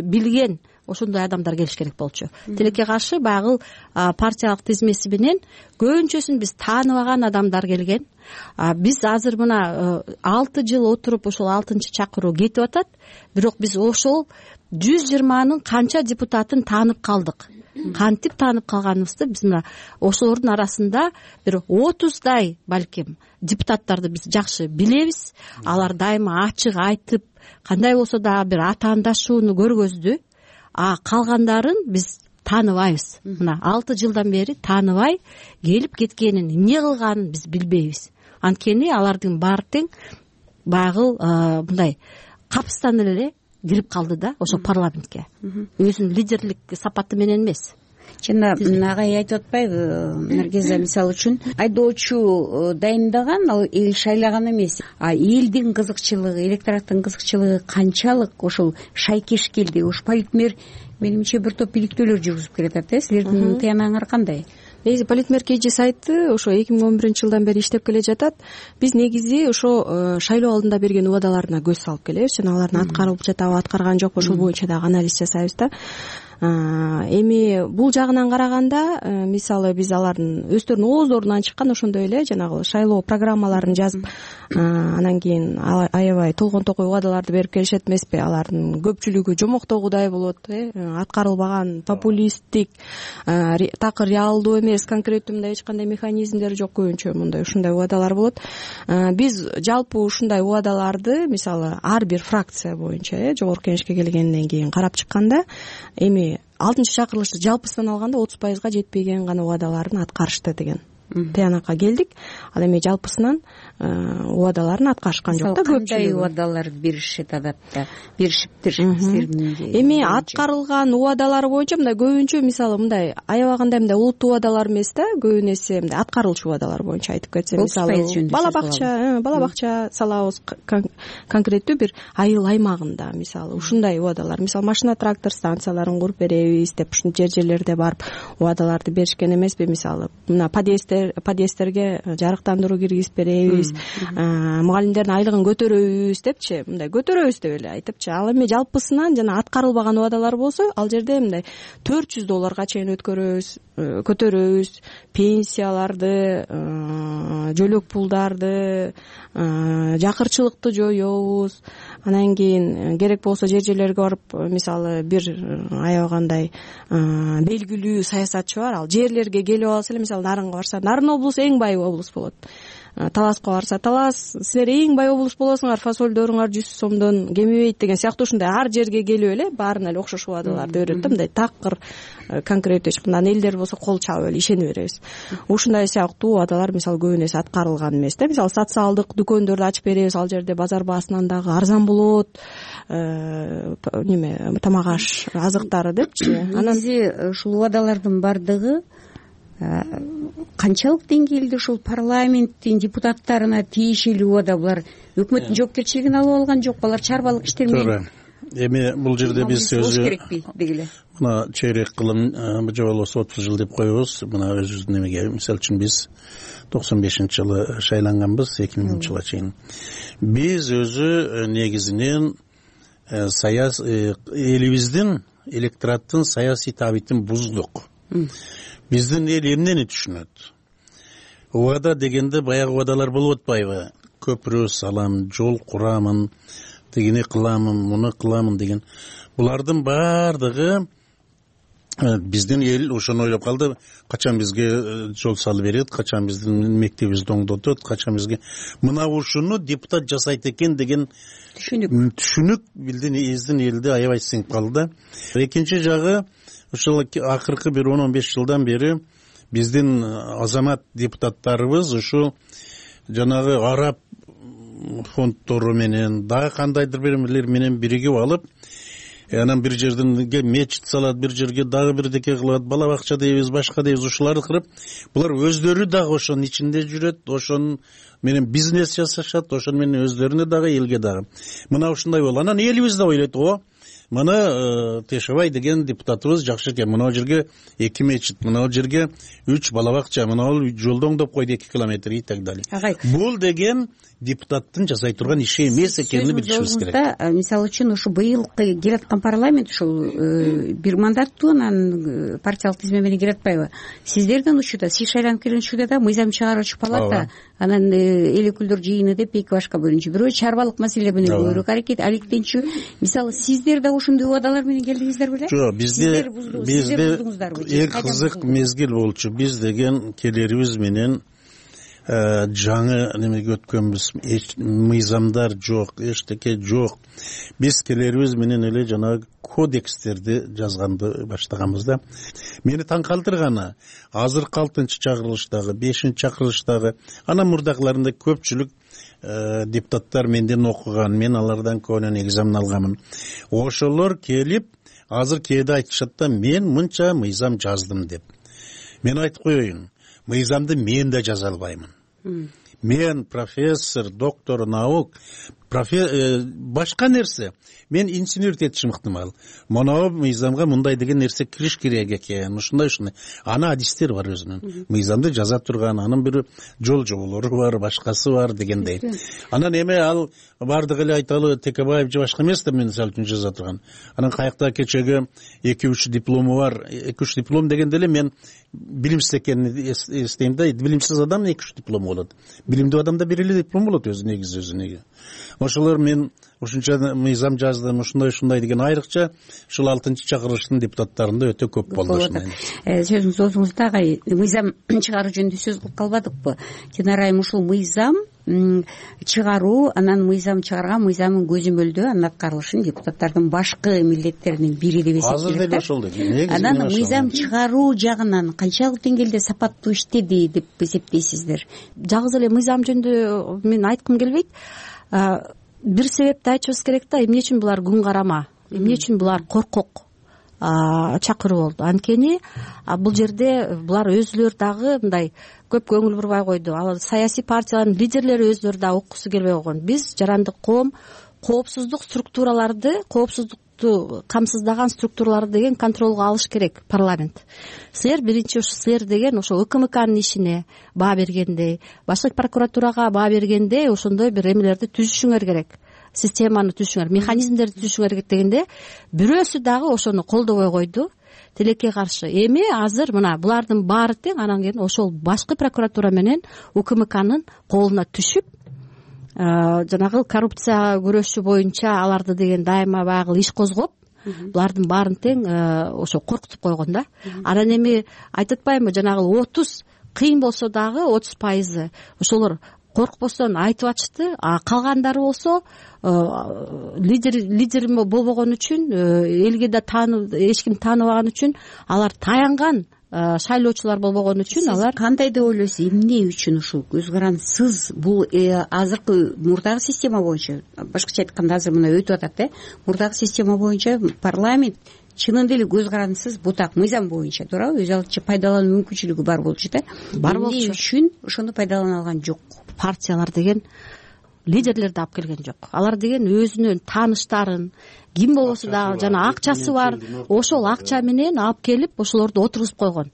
билген ошондой адамдар келиш керек болчу. Тилекке каршы баягы партиялык тизмеси менен көбүнчөсүн биз тааныбаган адамдар келген. Биз азыр мына 6 жыл отуруп ошол 6-чакыруу кетип атат, бирок биз ошол 120нын канча депутатын таанып калдык. Кантип таанып калганыбызды биз мына ошолордун арасында бир 30дай балким депутаттарды биз жакшы билебиз. Алар дайыма ачык айтып, кандай болсо да бир атаандашууну көргөздү. Калгандарын биз тааныбайбыз. Мына 6 жылдан бери тааныбай келип кеткенин, эмне кылганын биз билбейбиз. Анткени алардын баары тең баягы мындай капыстан эле кирип калды да ошо парламентке. Өзүнүн лидерлик сапаты менен эмес. Жана агай айтып атпайбы, Наргиза мисалы үчүн айдоочу дайындаган, ал эл шайлаган эмес. Элдин кызыкчылыгы, электораттын кызыкчылыгы канчалык ошол шайкеш келди. Ош политмер менимче бир топ иликтөөлөр жүргүзүп келатат. Силердин тыянагыңар кандай? Негизи политмер KG сайты ошо 2011-жылдан бери иштеп келе жатат. Биз негизи ошо шайлоо алдында берген убадаларына көз салып келебиз. Жана алардын аткарылып жатабы, аткарган жокпу, ошол боюнча дагы анализ жасайбыз да. Эми бул жагынан караганда, мисалы биз алардын өздөрүнүн ооздорунан чыккан ошондой эле жанагы шайлоо программаларын жазып, анан кийин аябай толгон токой убадаларды берип келишет эмеспи? Алардын көпчүлүгү жомоктогудай болот, аткарылбаган, популисттик, такыр реалдуу эмес, конкреттүү мындай эч кандай механизмдер жок, көбүнчө мындай ушундай убадалар болот. Биз жалпы ушундай убадаларды мисалы ар бир фракция боюнча жогорку кеңешке келгенден кийин карап чыкканда, эми 6-чакырылышты жалпысынан алганда 30%га жетпеген гана убадаларын аткарышты деген тыянакка келдик. Ал эми жалпысынан убадаларын аткарышкан жок да. Кандай убадалар беришет адатта? Беришиптир. Эми аткарылган убадалар боюнча мындай көбүнчө мисалы мындай аябагандай мындай улуттуу убадалар эмес да, көбүн эсе мындай аткарылчу убадалар боюнча айтып кетсем, мисалы бала бакча салабыз, конкреттүү бир айыл аймагында мисалы ушундай убадалар, мисалы машина трактор станцияларын куруп беребиз деп ушундай жерлерде барып убадаларды беришкен эмеспи? Мисалы мына подъездтерге жарыктандыруу киргизип беребиз, мугалимдердин айлыгын көтөрөбүз депчи, мындай көтөрөбүз деп эле айтыпчы. Ал эми жалпысынан жана аткарылбаган убадалар болсо, ал жерде мындай $400 чейин көтөрөбүз, пенсияларды, жөлөк пулдарды, жакырчылыкты жоёбуз. Анан кийин керек болсо жерлерге барып, мисалы бир аябагандай белгилүү саясатчы бар, ал жерлерге келип алса эле, мисалы Нарынга барса, Нарын облусу эң бай облус болот. Таласка барса, Талас, силер эң бай облус болосуңар, фасолдоруңар 100 сомдон кемибейт деген сыяктуу ушундай ар жерге келип эле баарына эле окшош убадаларды берет да, мындай такыр конкреттүү. Мындан элдер болсо кол чабып эле ишене беребиз. Ушундай сыяктуу убадалар мисалы көбүн эсе аткарылган эмес да. Мисалы социалдык дүкөндөрдү ачып беребиз, ал жерде базар баасынан дагы арзан болот, тамак аш азыктары депчи. Анан ушул убадалардын бардыгы канчалык деңгээлде ушул парламенттин депутаттарына тиешелүү убада? Булар өкмөттүн жоопкерчилигин алып алган жокпу? Алар чарбалык иштер менен эми бул жерде биз өзү керекпи дегиле. Мына чейрек кылым же болбосо 30 жыл деп коебуз. Мына өзүбүздүн эмеге, мисалы үчүн биз 95-жылы шайланганбыз, 2000-жылга чейин. Биз өзү негизинен элибиздин электораттын саясий табитин буздук. Биздин эл эмнени түшүнөт? Убада дегенде баягы убадалар болуп атпайбы? Көпүрө салам, жол курамын, тигини кыламын, муну кыламын деген. Булардын баардыгы биздин эл ошону ойлоп калды. Качан бизге жол салып берет, качан биздин мектебибизди оңдотот, качан бизге мына ушуну депутат жасайт экен деген түшүнүк биздин элди аябай сиңип калды. Экинчи жагы, ушул акыркы бир 10-15 жылдан бери биздин азамат депутаттарыбыз ушу жанагы араб фонддору менен дагы кандайдыр бирлер менен биригип алып, анан бир жерден мечит салат, бир жерге дагы бирдеке кылат, бала бакча дейбиз, башка дейбиз, ушуларды кырып, булар өздөрү дагы ошонун ичинде жүрөт, ошонун менен бизнес жасашат, ошону менен өздөрүнө дагы элге дагы. Мына ушундай болду. Анан элибиз да ойлойт, мына Тешебай деген депутатыбыз жакшы экен, мына жерге 2 мечит, мына жерге 3 бала бакча, мына жолду оңдоп койду 2 километр и так далее. Бул деген депутаттын жасай турган иши эмес экенин билишибиз керек. Мисалы үчүн ушу быйыл келаткан парламент ушул бир мандаттуу, анан партиялык тизме менен келатпайбы? Сиздердин учурда, сиз шайланып келген учурда да мыйзам чыгаруучу палата, анан эл өкүлдөр жыйыны деп эки башка бөлүнчү. Бирөө чарбалык маселе менен көбүрөөк алектенчү. Мисалы сиздер да ошондой убадалар менен келдиңиздер беле? Жок, бизде эң кызык мезгил болчу. Биз деген келерибиз менен жаңы немеге өткөнбүз, мыйзамдар жок, эчтеке жок. Биз келерибиз менен эле жанагы кодекстерди жазганды баштаганбыз да. Мени таң калтырганы азыркы 6-чакырылыштагы, 5-чакырылыштагы, анан мурдакыларында көпчүлүк депутаттар менден окуган, мен алардан көбүнөн экзамен алганмын. Ошолор келип азыр кээде айтышат да, мен мынча мыйзам жаздым деп. Мен айтып коеюн, мыйзамды мен да жаза албаймын. Мен профессор, доктор наук, башка нерсе. Мен инженер этишим ыктымал. Моноо мыйзамга мындай деген нерсе кириш керек экен, ушундай. Ана адистер бар өзүнүн. Мыйзамды жаза турган, анын бир жол жоболору бар, башкасы бар дегендей. Анан эме ал бардыгы эле айталы Текебаев же башка эмес да мисалы үчүн жаза турган. Анан каякта кечеги 2-3 диплому бар. 2-3 диплом дегенде эле мен билимсиз экенин эстейм да. Билимсиз адам 2-3 диплом болот. Билимдүү адамда бир эле диплом болот өзүнө. Ошолор мен ушунча мыйзам жаздым, ушундай деген айрыкча ушул 6-чакырылыштын депутаттарында өтө көп болду. Сөзүңүз оозуңузда агай, мыйзам чыгаруу жөнүндө сөз кылып калбадыкпы? Динара айым, ушул мыйзам чыгаруу, анан мыйзам чыгарган мыйзамдын көзөмөлдөө анын аткарылышын депутаттардын башкы милдеттеринин бири деп эсептейт. Азыр деле ошол деп. Анан мыйзам чыгаруу жагынан канчалык деңгээлде сапаттуу иштеди деп эсептейсиздер? Жалгыз эле мыйзам жөнүндө мен айткым келбейт. Бир себепти айтышыбыз керек да, эмне үчүн булар күн карама, эмне үчүн булар коркок чакыруу болду. Анткени бул жерде булар өзүлөрү дагы мындай көп көңүл бурбай койду. Ал саясий партиялардын лидерлери өзүлөрү да уккусу келбей койгон. Биз жарандык коом коопсуздук структураларды, коопсуздукту камсыздаган структураларды деген контролго алыш керек парламент. Силер биринчи ушу силер деген ошо УКМКнын ишине баа бергендей, башкы прокуратурага баа бергендей ошондой бир эмелерди түзүшүңөр керек. Системаны түзүшүңөр, механизмдерди түзүшүңөр керек дегенде бирөөсү дагы ошону колдобой койду. Тилекке каршы. Эми азыр мына булардын баары тең, анан кийин ошол башкы прокуратура менен УКМКнын колуна түшүп, жанагы коррупция күрөшү боюнча аларды деген дайыма баягы иш козгоп, булардын баарын тең ошо коркутуп койгон да. Анан эми айтып атпаймынбы, жанагы 30 кыйын болсо дагы 30% ошолор коркпостон айтып атышты. Калгандары болсо лидер болбогон үчүн, элге да эч ким тааныбаган үчүн, алар таянган шайлоочулар болбогон үчүн алар. Кандай деп ойлойсуз, эмне үчүн ушул көз карансыз? Бул азыркы мурдагы система боюнча, башкача айтканда азыр мына өтүп атат, мурдагы система боюнча парламент чынында эле көз карансыз бутак мыйзам боюнча, туурабы? Өз алдынча пайдалануу мүмкүнчүлүгү бар болчу да. Бар болчу. Эмне үчүн ошону пайдалана алган жок? Партиялар деген лидерлерди алып келген жок. Алар деген өзүнүн тааныштарын, ким болбосо дагы жана акчасы бар, ошол акча менен алып келип ошолорду отургузуп койгон.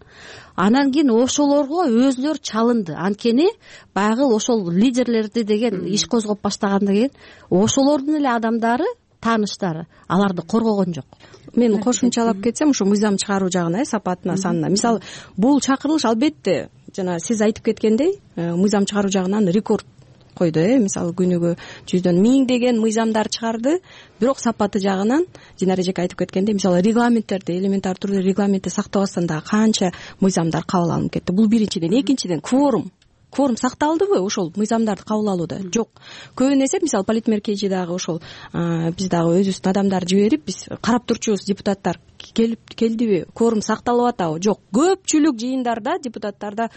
Анан кийин ошолорго өзүлөр чалынды. Анткени баягы ошол лидерлерди деген иш козгоп баштагандан кийин ошолордун эле адамдары, тааныштары аларды коргогон жок. Мен кошумчалап кетсем, ушу мыйзам чыгаруу жагына, сапатына, санына. Мисалы, бул чакырылыш албетте жана сиз айтып кеткендей, мыйзам чыгаруу жагынан рекорд койду. Мисалы, күнүгө 100дөн 1000 деген мыйзамдар чыгарды, бирок сапаты жагынан Динара эжеке айтып кеткендей, мисалы, регламенттерди, элементар түрдө регламентти сактабастан дагы канча мыйзамдар кабыл алынып кетти. Бул биринчиден. Экинчиден, кворум сакталдыбы ошол мыйзамдарды кабыл алууда? Жок. Көбүн эсе, мисалы, политмеркежи дагы ошол биз дагы өзүбүздүн адамдарды жиберип, биз карап турчубуз, депутаттар келдиби, кворум сакталып атабы? Жок. Көпчүлүк жыйындарда депутаттарда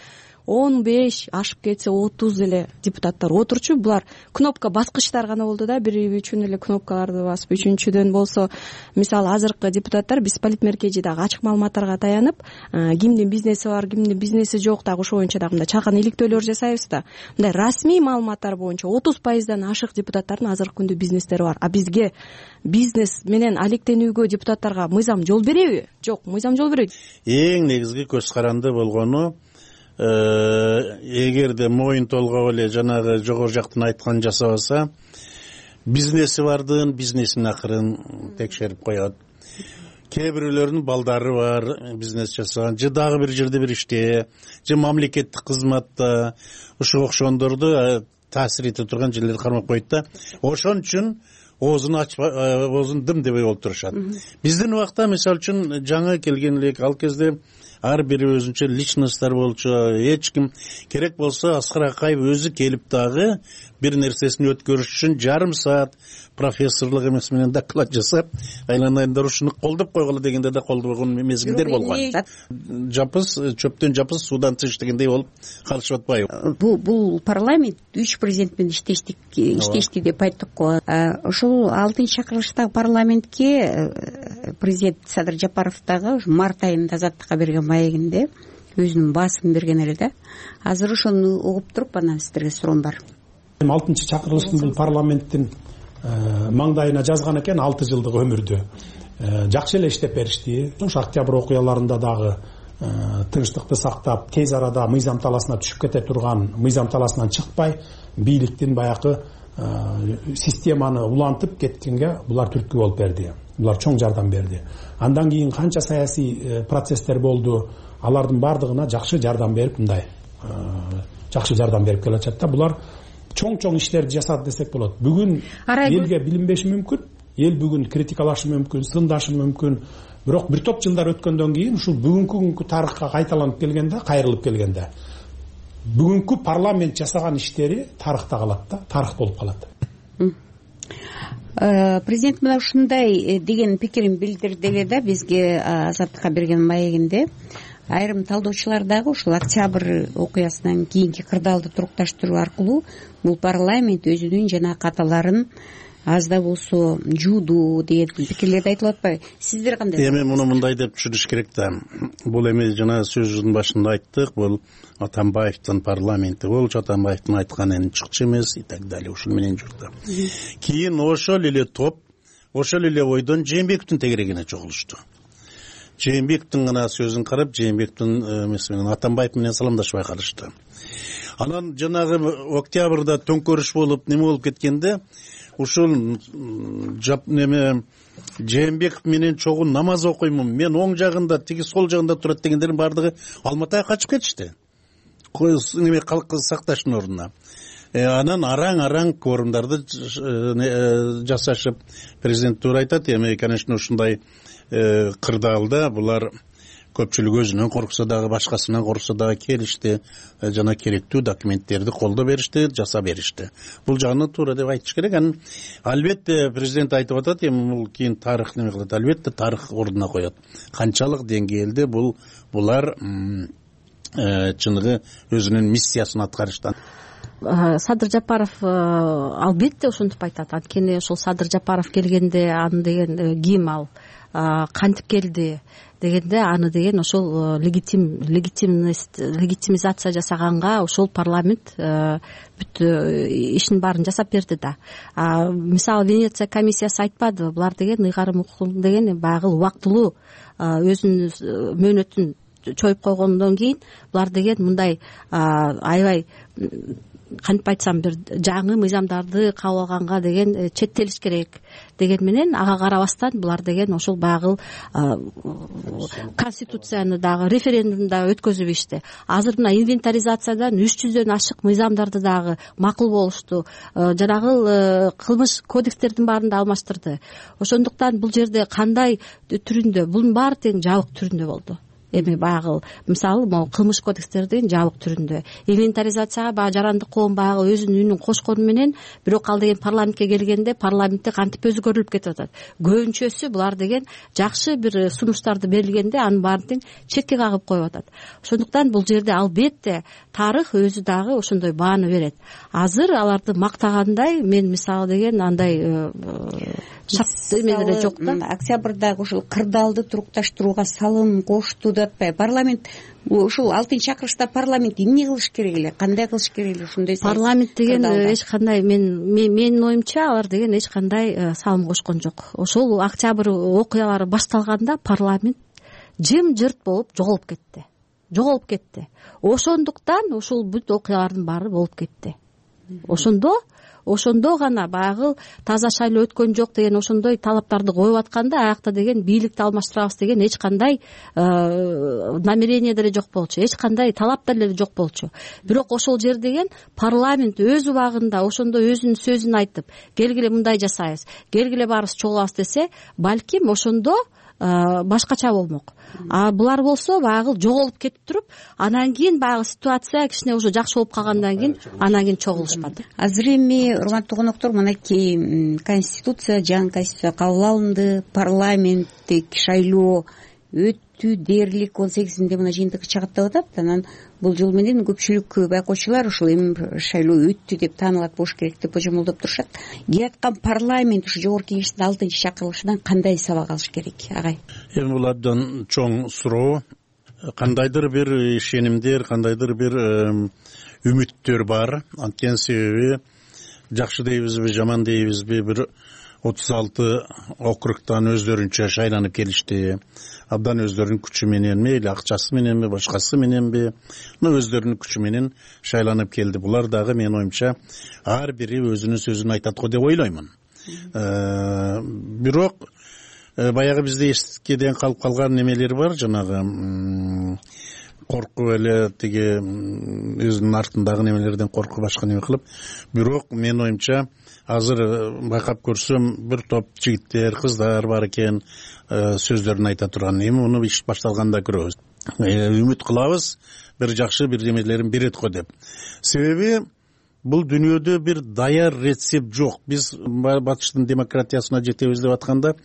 15 ашып кетсе 30 эле депутаттар отурчу. Булар кнопка баскычтар гана болду да, бир үчүн эле кнопкаларды басып. Үчүнчүдөн болсо мисалы азыркы депутаттар биз политмеркежи дагы ачык маалыматтарга таянып, кимдин бизнеси бар, кимдин бизнеси жок, дагы ошо боюнча дагы мындай чалкан иликтөөлөр жасайбыз да. Мындай расмий маалыматтар боюнча 30%дан ашык депутаттардын азыркы күндө бизнестери бар. А бизге бизнес менен алектенүүгө депутаттарга мыйзам жол береби? Жок, мыйзам жол бербейт. Эң негизги көз каранды болгону, эгерде моюн толгоп эле жанагы жогору жактан айтканын жасабаса, бизнеси бардын бизнесин акырын текшерип коет. Кээ бирөөлөрдүн балдары бар, бизнес жасаган, же дагы бир жерде бир иште, же мамлекеттик кызматта ушуга окшогондорду таасир эте турган жерлерди кармап коет да. Ошон үчүн оозун оозун дым дебей болуп турушат. Биздин убакта мисалы үчүн жаңы келген элек, ал кезде ар бири өзүнчө личносттар болчу. Эч ким керек болсо Аскар Акаев өзү келип дагы бир нерсесин өткөрүш үчүн жарым саат профессорлук эмес менен доклад жасап, айланайындар ушуну колдоп койгула дегенде да колдобогон мезгилдер болгон. Жапыз, чөптөн жапыз суудан тыш дегендей болуп калышып атпайбы? Бул парламент 3 президент менен иштешти деп айттык го. Ошол 6-чакырылыштагы парламентке президент Садыр Жапаров дагы март айында Азаттыкка берген маегинде өзүнүн баасын берген эле да. Азыр ошону угуп туруп анан сиздерге суроом бар. 6-чакырылыштын бул парламенттин маңдайына жазган экен 6 жылдык өмүрдү. Жакшы эле иштеп беришти. Ошо октябрь окуяларында дагы тынчтыкты сактап, тез арада мыйзам таласына түшүп кете турган, мыйзам таласынан чыкпай, бийликтин баягы системаны улантып кеткенге булар түрткү болуп берди. Булар чоң жардам берди. Андан кийин канча саясий процесстер болду, алардын бардыгына жакшы жардам берип, мындай жакшы жардам берип келатат да. Булар чоң иштерди жасады десек болот. Бүгүн элге билинбеши мүмкүн, эл бүгүн критикалашы мүмкүн, сындашы мүмкүн. Бирок бир топ жылдар өткөндөн кийин ушул бүгүнкү тарыхка кайталанып келгенде, кайрылып келгенде, бүгүнкү парламент жасаган иштери тарыхта калат да, тарых болуп калат. Президент мына ушундай деген пикирин билдирди эле да бизге Азаттыкка берген маегинде. Айрым талдоочулар дагы ушул октябрь окуясынан кийинки кырдаалды турукташтыруу аркылуу бул парламент өзүнүн жана каталарын аз да болсо жууду деген пикирлерди айтылып атпайбы? Сиздер кандай? Эми муну мындай деп түшүнүш керек да. Бул эми жана сөзүбүздүн башында айттык, бул Атамбаевдин парламенти болчу, Атамбаевдин айтканын чыкчы эмес и так далее, ушул менен жүрдү. Кийин ошол эле топ, ошол эле ойдон Жээнбековдун тегерегине чогулушту. Жээнбековдун гана сөзүн карап, Жээнбековдун эмеси менен Атамбаев менен саламдашпай калышты. Анан жанагы октябрда төңкөрүш болуп, неме болуп кеткенде, ушул неме Жээнбеков менен чогуу намаз окуймун, мен оң жагында, тиги сол жагында турат дегендердин бардыгы Алматыга качып кетишти. Неме калк сакташтын ордуна. Анан араң форумдарды жасашып, президент туура айтат, эми конечно ушундай кырдаалда булар көпчүлүк өзүнөн корксо дагы, башкасынан корксо дагы келишти, жана керектүү документтерди колдо беришти, жасап беришти. Бул жагынан туура деп айтыш керек. Албетте президент айтып атат, эми бул кийин тарых неме кылат, албетте тарых ордуна коет. Канчалык деңгээлде булар чыныгы өзүнүн миссиясын аткарыштан. Садыр Жапаров албетте ошентип айтат. Анткени ошол Садыр Жапаров келгенде аны деген ким ал, кантип келди дегенде, аны деген ошол легитимизация жасаганга ошол парламент бүт ишин баарын жасап берди да. Мисалы Венеция комиссиясы айтпадыбы, булар деген ыйгарым укугун деген баягы убактылуу өзүнүн мөөнөтүн чоюп койгондон кийин булар деген мындай аябай кантип айтсам бир жаңы мыйзамдарды кабыл алганга деген четтелиш керек деген менен ага карабастан булар деген ошол баягы конституцияны дагы референдумда өткөзүп ишти. Азыр мына инвентаризациядан 300дөн ашык мыйзамдарды дагы макул болушту. Жанагы кылмыш кодекстердин баарын да алмаштырды. Ошондуктан бул жерде кандай түрүндө, бунун баары тең жабык түрүндө болду. эми баягы мисалы могу кылмыш кодекстердин жабык түрүндө инвентаризацияга баягы жарандык коом баягы өзүнүн үнүн кошкону менен бирок ал деген парламентке келгенде парламентте кантип өзгөрүлүп кетип атат. Көбүнчөсү булар деген жакшы бир сунуштарды берилгенде анын баарын тең четке кагып коюп атат. Ошондуктан бул жерде албетте тарых өзү дагы ошондой бааны берет. Азыр аларды мактагандай мен мисалы деген андай эмелер жок да. Октябрдагы ушул кырдаалды турукташтырууга салым кошту деп атпайбы парламент? Ушул 6-чакырышта парламент эмне кылыш керек эле, кандай кылыш керек эле? Ушундай парламент деген эч кандай менин оюмча алар деген эч кандай салым кошкон жок. Ошол октябрь окуялары башталганда парламент жым-жырт болуп жоголуп кетти. Ошондуктан ушул бүт окуялардын баары болуп кетти. Ошондо гана баягы таза шайлоо өткөн жок деген ошондой талаптарды коюп атканда аякта деген бийликти алмаштырабыз деген эч кандай намерение деле жок болчу, эч кандай талап деле жок болчу. Бирок ошол жер деген парламент өз убагында ошондой өзүнүн сөзүн айтып, келгиле мындай жасайбыз, келгиле баарыбыз чогулабыз десе, балким ошондо башкача болмок. А булар болсо баягы жоголуп кетип туруп, анан кийин баягы ситуация кичине уже жакшы болуп калгандан кийин анан кийин чогулушпат. Азыр эми урматтуу коноктор, мынакей конституция, жаңы конституция кабыл алынды, парламенттик шайлоо өттү дээрлик 18-inde мына жыйынтыгы чыгат деп атат. Анан бул жол менен көпчүлүк байкоочулар ушул эми шайлоо өттү деп таанылат болуш керек деп божомолдоп турушат. Келаткан парламент ушу жогорку кеңештин 6-чакырылышынан кандай сабак алыш керек, агай? Эми бул абдан чоң суроо. Кандайдыр бир ишенимдер, кандайдыр бир үмүттөр бар. Анткени себеби жакшы дейбизби, жаман дейбизби, бир 36 округтан өздөрүнчө шайланып келишти. Абдан өздөрүнүн күчү мененби, акчасы мененби, башкасы мененби, өздөрүнүн күчү менен шайланып келди. Булар дагы менин оюмча ар бири өзүнүн сөзүн айтат го деп ойлоймун. Бирок баягы бизде эскеден калып калган немелер бар, жанагы коркуп эле тиги өзүнүн артындагы немелерден коркуп башка неме кылып. Бирок менин оюмча азыр байкап көрсөм бир топ жигиттер, кыздар бар экен, сөздөрүн айта турган. Эми муну иш башталганда көрөбүз. Үмүт кылабыз, бир жакшы бир немелерин берет го деп. Себеби бул дүйнөдө бир даяр рецепт жок. Биз батыштын демократиясына жетебиз деп атканда,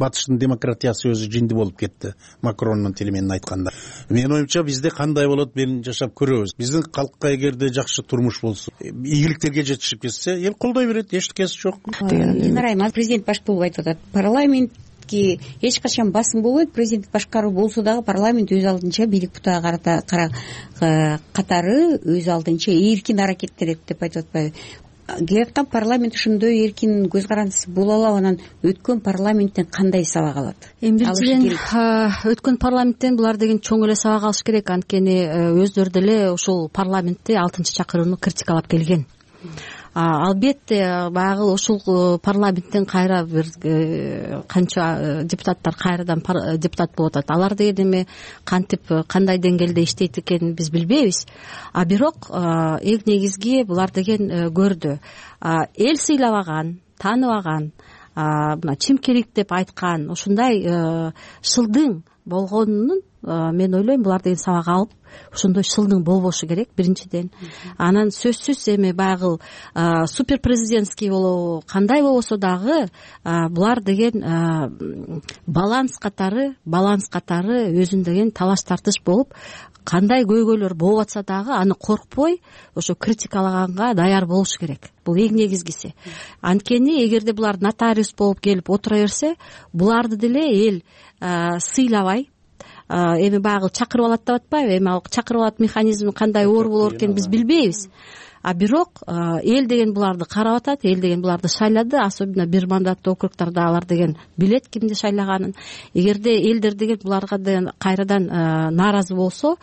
батыштын демократиясы өзү жинди болуп кетти. Макрондун тили менен айтканда. Менин оюмча бизде кандай болот, мен жашап көрөбүз. Биздин калкка эгерде жакшы турмуш болсо, ийгиликтерге жетишип кетсе, эл колдой берет, эчтекеси жок. Президент баш болуп айтып атат. Парламент эч качан басым болбойт, президенттик башкаруу болсо дагы парламент өз алдынча бийлик бутага катары өз алдынча эркин аракеттенет деп айтып атпайбы? Келаткан парламент ошондой эркин көз карандысы боло алабы? Анан өткөн парламенттен кандай сабак алат? Эми биринчиден өткөн парламенттен булар деген чоң эле сабак алыш керек, анткени өздөрү деле ушул парламентти 6-чакырууну критикалап келген. Албетте баягы ушул парламенттен кайра бир канча депутаттар кайрадан депутат болуп атат. Алар деген эми кантип кандай деңгээлде иштейт экенин биз билбейбиз. Бирок эң негизги булар деген көрдү. Эл сыйлабаган, тааныбаган, мына чимкелик деп айткан ушундай шылдың болгонунун мен ойлойм булар деген сабак алып, ошондой шылдың болбошу керек биринчиден. Анан сөзсүз эми баягы супер президентский болобу, кандай болбосо дагы булар деген баланс катары өзүн деген талаш тартыш болуп, кандай көйгөйлөр болуп атса дагы аны коркпой ошо критикалаганга даяр болуш керек. Бул эң негизгиси. Анткени эгерде булар нотариус болуп келип отура берсе, буларды деле эл сыйлабай, эми баягы чакырып алат деп атпайбы? Эми ал чакырып алат механизми кандай оор болор экенин биз билбейбиз. Бирок эл деген буларды карап атат, эл деген буларды шайлады, особенно бир мандаттуу округдарда алар деген билет кимди шайлаганын. Эгерде элдер деген буларга деген кайрадан нааразы болсо,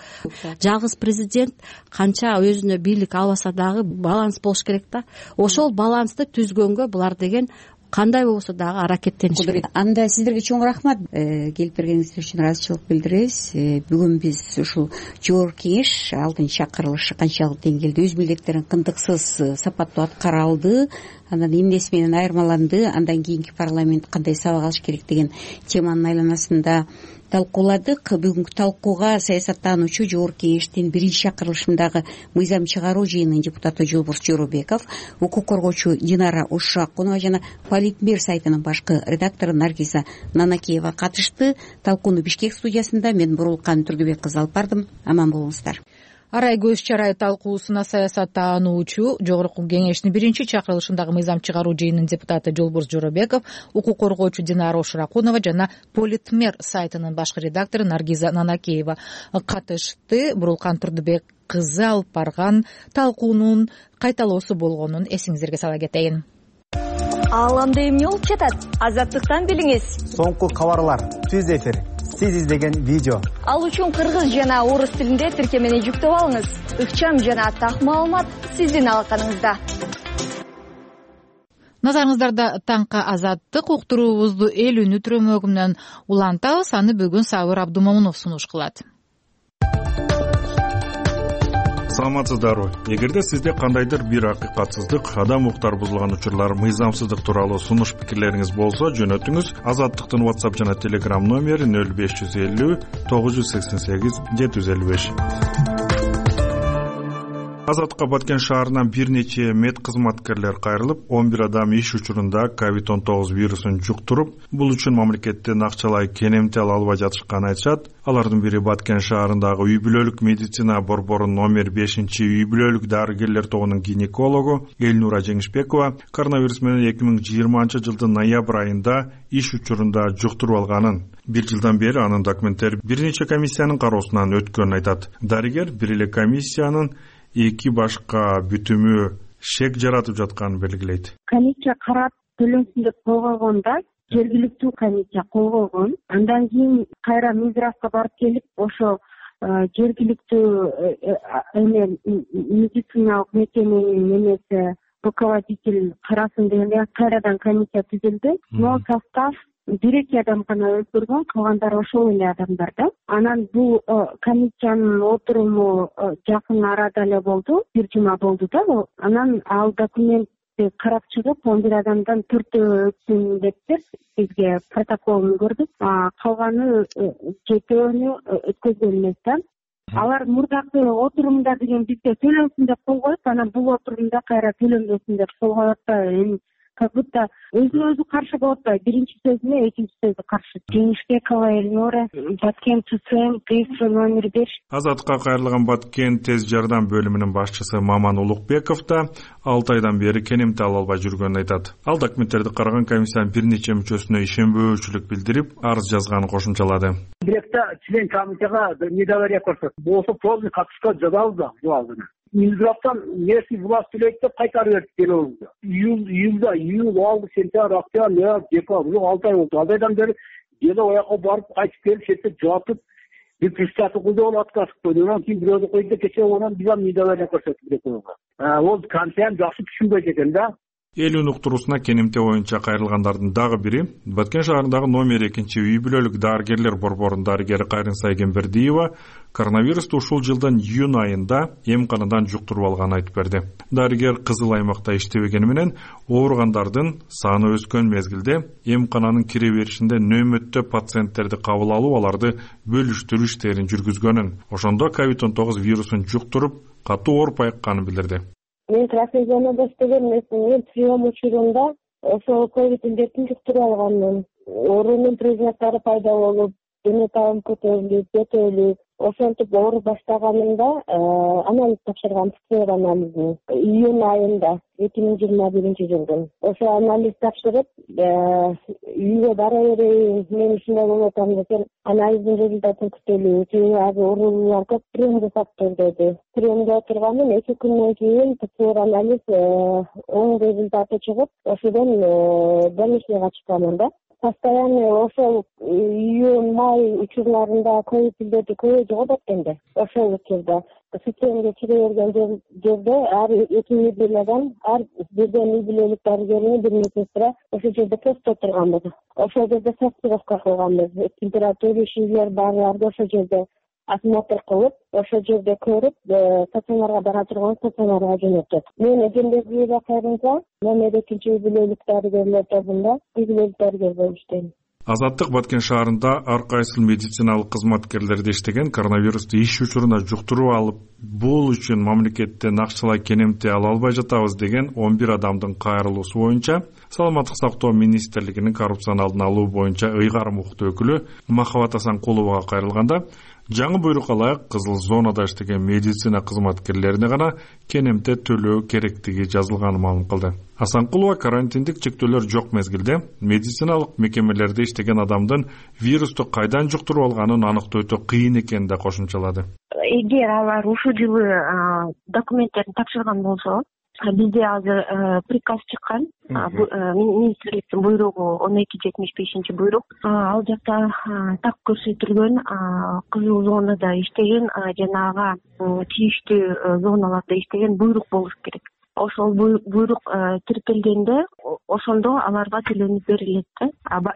жалгыз президент канча өзүнө бийлик албаса дагы баланс болуш керек да. Ошол балансты түзгөнгө булар деген кандай болбосо дагы аракеттениш керек. Анда сиздерге чоң рахмат. Келип бергениңиздер үчүн ыраазычылык билдиребиз. Бүгүн биз ушул жогорку кеңеш 6-чакырылышы канчалык деңгээлде өз милдеттерин кындыксыз сапаттуу аткара алды, анан эмнеси менен айырмаланды, андан кийинки парламент кандай сабак алыш керек деген теманын айланасында талкууладык. Бүгүнкү талкууга саясаттануучу жогорку кеңештин биринчи чакырылышындагы мыйзам чыгаруу жыйынынын депутаты Жолборс Жоробеков, укук коргоочу Динара Ушакунова жана Политмер сайтынын башкы редактору Наргиза Нанакеева катышты. Талкууну Бишкек студиясында мен Бурулкан Түргүбек кызы алып бардым. Аман болуңуздар. Арай көз чарай талкуусуна саясаттануучу жогорку кеңештин биринчи чакырылышындагы мыйзам чыгаруу жыйынынын депутаты Жолборс Жоробеков, укук коргоочу Динара Ушакунова жана Политмер сайтынын башкы редактору Наргиза Нанакеева катышты. Бурулкан Турдубек кызы алып барган талкуунун кайталоосу болгонун эсиңиздерге сала кетейин. Ааламда эмне болуп жатат? Азаттыктан билиңиз. Соңку кабарлар, түз эфир, сиз издеген видео. Ал үчүн кыргыз жана орус тилинде тиркемени жүктөп алыңыз. Ыкчам жана так маалымат сиздин алаканыңызда. Назарыңыздарда таңкы азаттык уктуруубузду эл үнү түрөмөгү менен улантабыз. Аны бүгүн Сабыр Абдумомунов сунуш кылат. Саламатсыздарбы? Эгерде сизде кандайдыр бир акыйкатсыздык, адам укуктары бузулган учурлар, мыйзамсыздык тууралуу сунуш пикирлериңиз болсо, жөнөтүңүз. Азаттыктын WhatsApp жана Telegram номери 0550 988 755. Азаттыкка Баткен шаарынан бир нече мед кызматкерлер кайрылып, 11 адам иш учурунда COVID-19 вирусун жуктуруп, бул үчүн мамлекеттен акчалай кенемтел албай жатышканын айтышат. Алардын бири Баткен шаарындагы үй бүлөлүк медицина борборунун номер 5-үй бүлөлүк дарыгерлер тобунун гинекологу Элнура Жеңишбекова коронавирус менен 2020 жылдын ноябрь айында иш учурунда жуктуруп алганын, бир жылдан бери анын документтери бир нече комиссиянын кароосунан өткөнүн айтат. Дарыгер бир эле комиссиянын эки башка бүтүмү шек жаратып жатканын белгилейт. Комиссия карап төлөнсүн деп койгондо жергиликтүү комиссия койгон. Андан кийин кайра Минздравга барып келип, ошо жергиликтүү медициналык мекеменин немеси руководитель карасын дегенде кайрадан комиссия түзүлдү. Но состав бир-эки адам гана өзгөргөн, калгандары ошол эле адамдар да. Анан бул комиссиянын отуруму жакын арада эле болду, бир жума болду да. Анан ал документти карап чыгып, 11 адамдан 4 өтсүн депти, бизге протоколун көрдүк. Калганы жетөөнү өткөзгөн эмес да. Алар мурдакы отурумда деген бизге төлөнсүн деп койгоюп, анан бул отурумда кайра төлөнбөсүн деп койгоюп атпайбы? Как будто өзүнө өзү каршы болуп атпайбы? Биринчи сөзүнө экинчи сөзү каршы. Жеңишбекова Элнура, Баткен ТСМ, ТС номер 5. Азаттыкка кайрылган Баткен тез жардам бөлүмүнүн башчысы Маман Улукбеков да 6 айдан бери кенемтел албай жүргөнүн айтат. Ал документтерди караган комиссиянын бир нече мүчөсүнө ишенбөөчүлүк билдирип, арыз жазганын кошумчалады. Биректе член комиссияга недоверие көрсөтүп, болсо полный катышка жазабыз да жубалды. Минздравтан местный власть төлөйт деп кайтарып берди делебизди. Июль алды, сентябрь, октябрь, ноябрь, декабрь, 6 ай болду. 6 айдан бери деле ояка барып кайтып келип, шетте жатып, бир пристаты куйдуп откасып койду. Анан кийин бирөөдү койду, кечээ онан бизге недоверие көрсөтүп. Ол комиссияны жакшы түшүнбөйт экен да. Эл үн уктуруусуна кенемте боюнча кайрылгандардын дагы бири Баткен шаарындагы номер 2-үй бүлөлүк дарыгерлер борборунун дарыгери Кайрынса Эгембердиева коронавирусту ушул жылдын июнь айында эмканадан жуктуруп алганын айтып берди. Дарыгер кызыл аймакта иштебегени менен ооругандардын саны өскөн мезгилде эмкананын кире беришинде нөмөттө пациенттерди кабыл алып, аларды бөлүштүрүү иштерин жүргүзгөнүн, ошондо COVID-19 вирусун жуктуруп, катуу ооруп айыкканын билдирди. Мен красный зонада иштеген эмесмин. Прием учурунда ошол ковид индетин жуктуруп алганмын. Оорунун признактары пайда болуп, дене табым көтөрүлүп, жөтөлүп, ошентип ооруп баштаганымда анализ тапшырган, ПЦР анализин июнь айында 2021 жылдын. Ошо анализ тапшырып, үйгө бара берейин, мен ушундай болуп атам десем, анализдин результатын күтөлүбүз. Азыр оорулуулар көп, прием жасап тур деди. Приемде отурганмын, 2 күндөн кийин ПЦР анализ оң результаты чыгып, ошодон больницага чыкканмын да. Постоянно ошол июнь-май учурларында ковид илдети көбөйүп жогот экен. Ошол учурда системге кире берген жерде ар 2 неделядан ар бирден үй бүлөлүк дарыгеринин бир медсестра ошол жерде постто отурганбыз. Ошол жерде сортировка кылганбыз. Температура ишүүлөр баарларды ошол жерде осмотр кылып ошол жерде көрүп стационарга бара турган стационарга жөнөтөт. Мен Эжембек Кайрымза, номер 2 үй бүлөлүк дарыгерлер тобунда үй бүлөлүк дарыгер болуп иштейм. Азаттык Баткен шаарында ар кайсыл медициналык кызматкерлерди иштеген коронавирусту иш учуруна жуктуруп алып, бул үчүн мамлекеттен акчалай кенемти ала албай жатабыз деген 11 адамдын кайрылуусу боюнча Саламаттык сактоо министрлигинин коррупцияны алдын алуу боюнча ыйгарым укуктуу өкүлү Махабат Асанкуловага кайрылганда, жаңы буйрукка ылайык кызыл зонада иштеген медицина кызматкерлерине гана кенемте төлөө керектиги жазылганын маалым кылды. Асанкулова карантиндик чектөөлөр жок мезгилде медициналык мекемелерде иштеген адамдын вирусту кайдан жуктуруп алганын аныктоо өтө кыйын экенин да кошумчалады. Эгер алар ушул жылы документтерин тапшырган болсо, бизде азыр приказ чыккан, министрликтин буйругу 1275 буйрук. Ал жакта так көрсөтүлгөн кызыл зонада иштеген жанагы тийиштүү зоналарда иштеген буйрук болуш керек. Ошол буйрук тиркелгенде ошондо аларга төлөнүп берилет да.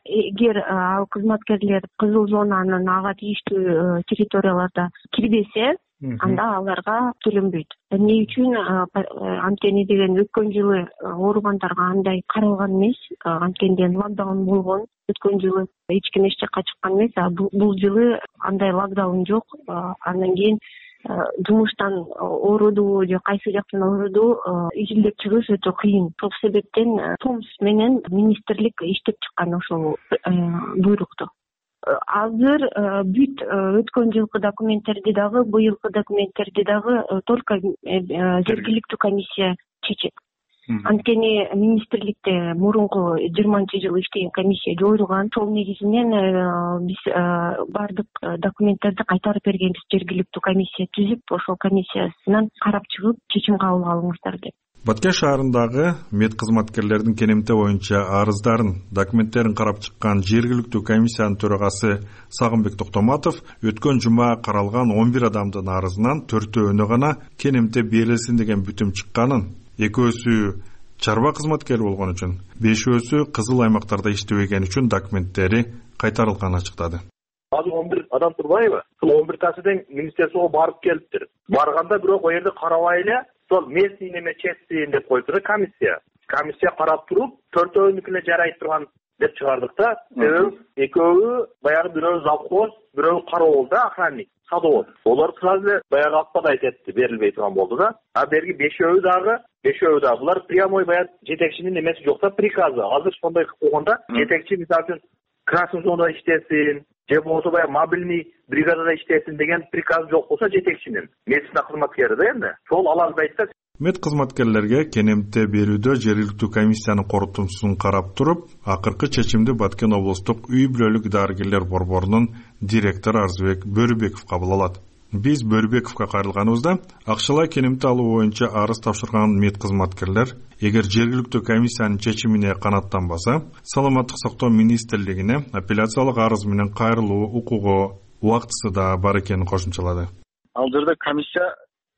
Эгер ал кызматкерлер кызыл зонанын ага тийиштүү территорияларда кирбесе, анда аларга төлөнбөйт. Эмне үчүн? Анткени деген өткөн жылы ооругандарга андай каралган эмес, анткени локдаун болгон. Өткөн жылы эч ким эч жакка чыккан эмес, бул жылы андай локдаун жок. Андан кийин жумуштан ооруду же кайсы жактан ооруду изилдеп чыгыш өтө кыйын. Ошол себептен ТОМС менен министрлик иштеп чыккан ошол буйрукту. Азыр бүт өткөн жылкы документтерди дагы, быйылкы документтерди дагы только жергиликтүү комиссия чечет. Анткени министрликте мурунку 20-жылы иштеген комиссия жойулган. Сол негизинен биз бардык документтерди кайтарып бергенбиз, жергиликтүү комиссия түзүп, ошол комиссиясынан карап чыгып чечим кабыл алыңыздар деп. Баткен шаарындагы мед кызматкерлердин кенемте боюнча арыздарын, документтерин карап чыккан жергиликтүү комиссиянын төрагасы Сагынбек Токтоматов өткөн жума каралган 11 адамдын арызынан 4-өөнө гана кенемте берилсин деген бүтүм чыкканын, 2-өсү чарба кызматкери болгон үчүн, 5-өсү кызыл аймактарда иштебеген үчүн документтери кайтарылганын ачыктады. Азыр 11 адам турбайбы? Сол 11 тасы тең министрликке барып келиптир. Барганда бирок о жерде карабай эле сол местный неме чечсин деп коюптур комиссия. Комиссия карап туруп, 4-өөнүкүнө жарайт турган деп чыгардык да. Экөө баягы бирөө завхоз, бирөө кароол да, охранник, садовод. Олар сразу баягы атпада айтты, берилбей турган болду да. А берги 5-өө дагы булар прямой баягы жетекчинин немеси жок да, приказы. Азыр сондай болгондо жетекчи мисалы үчүн красный зонада иштесин, же болбосо баягы мобильный бригадада иштесин деген приказ жок болсо жетекчинин, медицина кызматкери да эмне. Сол аларбайт да. Мед кызматкерлерге кенемте берүүдө жергиликтүү комиссиянын корутундусун карап туруп, акыркы чечимди Баткен облустук үй бүлөлүк дарыгерлер борборунун директору Арзыбек Бөрүбеков кабыл алат. Биз Бөрүбековго кайрылганыбызда акчалай кенемте алуу боюнча арыз тапшырган мед кызматкерлер эгер жергиликтүү комиссиянын чечимине канааттанбаса, Саламаттык сактоо министрлигине апелляциялык арыз менен кайрылуу укугу, убактысы да бар экенин кошумчалады. Ал жерде комиссия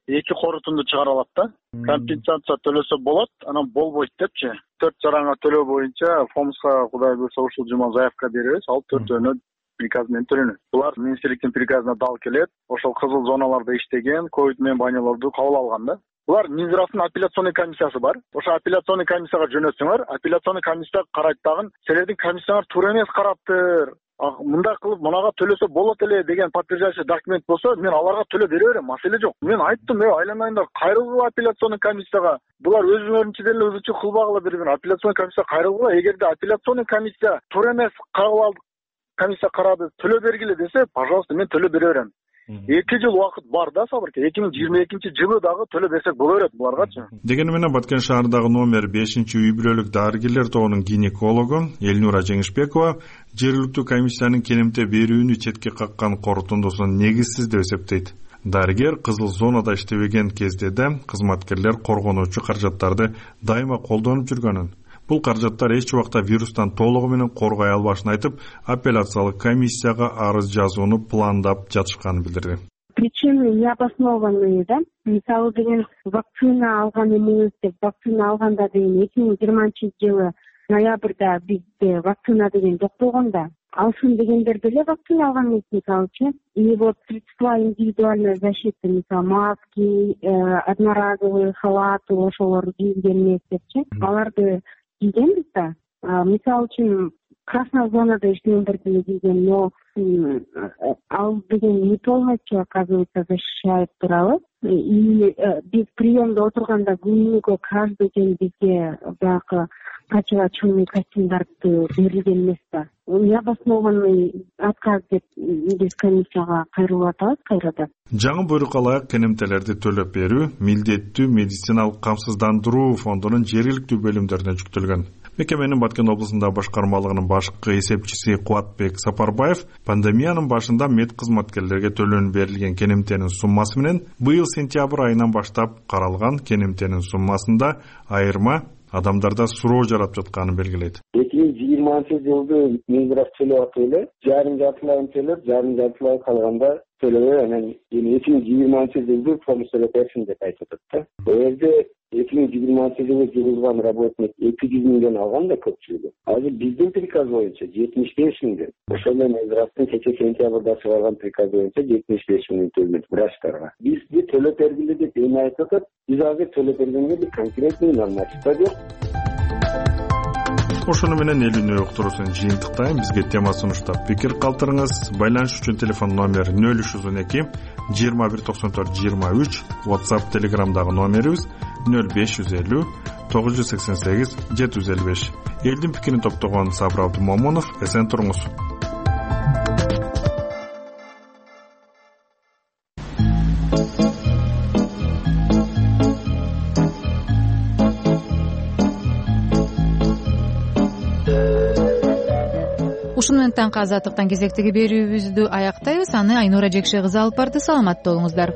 2 корутунду чыгара алат да. Компенсация төлөсө болот, анан болбойт депчи. 4 жараңа төлөө боюнча ФОМСка кудай буйрса ушул жума заявка беребиз, ал 4-өөнө приказ менен төлөнөт. Булар министрликтин приказына дал келет. Ошол кызыл зоналарда иштеген ковид менен больнолорду кабыл алган да. Булар Минздравдын апелляционный комиссиясы бар. Ошо апелляционный комиссияга жөнөтсөңөр, апелляционный комиссия карайт дагы, силердин комиссияңар туура эмес караптыр. Мындай кылып мунага төлөсө болот эле деген подтверждающий документ болсо, мен аларга төлөп бере берем, маселе жок. Мен айттым, айланайындар, кайрылгыла апелляционный комиссияга. Булар өзүңөрүнчө деле өзүчө кылбагыла бири-бири. Апелляционный комиссия кайрылгыла, эгерде апелляционный комиссия туура эмес комиссия карады, төлөп бергиле десе, пожалуйста, мен төлөп бере берем. 2 жыл убакыт бар да, Сабырке. 2022-жылы дагы төлөп берсек боло берет буларгачы. Дегени менен Баткен шаарындагы номер 5 үй бүлөлүк дарыгерлер тобунун гинекологу Элнура Жеңишбекова жергиликтүү комиссиянын кенемте берүүнү четке каккан корутундусун негизсиз деп эсептейт. Дарыгер кызыл зонада иштебеген кезде да кызматкерлер коргонуучу каражаттарды дайыма колдонуп жүргөнүн, бул каражаттар эч убакта вирустан толугу менен коргой албашын айтып, апелляциялык комиссияга арыз жазууну пландап жатышканын билдирди. Причины необоснованные, да? Мисалы деген вакцина алган эмес деп, вакцина алганда деген 2020-жылы ноябрда бизде вакцина деген жок болгон да. алсын дегендер деле вакцина алган эмес, мисалычы. И вот средства индивидуальной защиты, мисалы маски, одноразовый халаты, ошолор кийилген эмес депчи, аларды кийгенбиз да. Мисалы үчүн красная зонада иштегендер деле кийген, но ал деген не полностью, оказывается, защищает туралы. И биз приемдо отурганда күнүгө каждый день бизге баягы противочумный костюмдарды берилген эмес да. Необоснованный отказ деп биз комиссияга кайрылып атабыз кайрадан. Жаңы буйрук алайык кенемтелерди төлөп берүү милдеттүү медициналык камсыздандыруу фондунун жергиликтүү бөлүмдөрүнө жүктөлгөн. Мекеменин Баткен облусундагы башкармалыгынын башкы эсепчиси Кубатбек Сапарбаев пандемиянын башында мед кызматкерлерге төлөнүп берилген кенемтенин суммасы менен быйыл сентябрь айынан баштап каралган кенемтенин суммасында айырма адамдарда суроо жаратып жатканын белгилейт. 2020-жылды Минздрав төлөп атып эле, жартылайын төлөп, жартылай калганда төлөбөй, анан 2020-жылды помощь төлөп берсин деп айтып атат да. Бул жерде 2020-жылы жыгылган работник 200 миңден алган да көпчүлүгү. Азыр биздин приказ боюнча 75 миңден. Ошол менен Минздравдын кече сентябрда чыгарган приказ боюнча 75 миң төлөйт врачтарга. Бизди төлөп бергиле деп эми айтып атат. Биз азыр төлөп бергенге бир конкретный норматив жок. Ошону менен эл үнү уктуруусун жыйынтыктайм. Бизге тема сунуштап пикир калтырыңыз. Байланыш үчүн телефон номер 0312 2194 23, WhatsApp, Telegramдагы номерибиз 0550 988 755. Элдин пикирин топтогон Сабыр Абдумомунов, эсен туруңуз. Ушуну менен таңкы азаттыктан кезектеги берүүбүздү аяктайбыз. Аны Айнура Жекше кызы алып барды. Саламатта болуңуздар.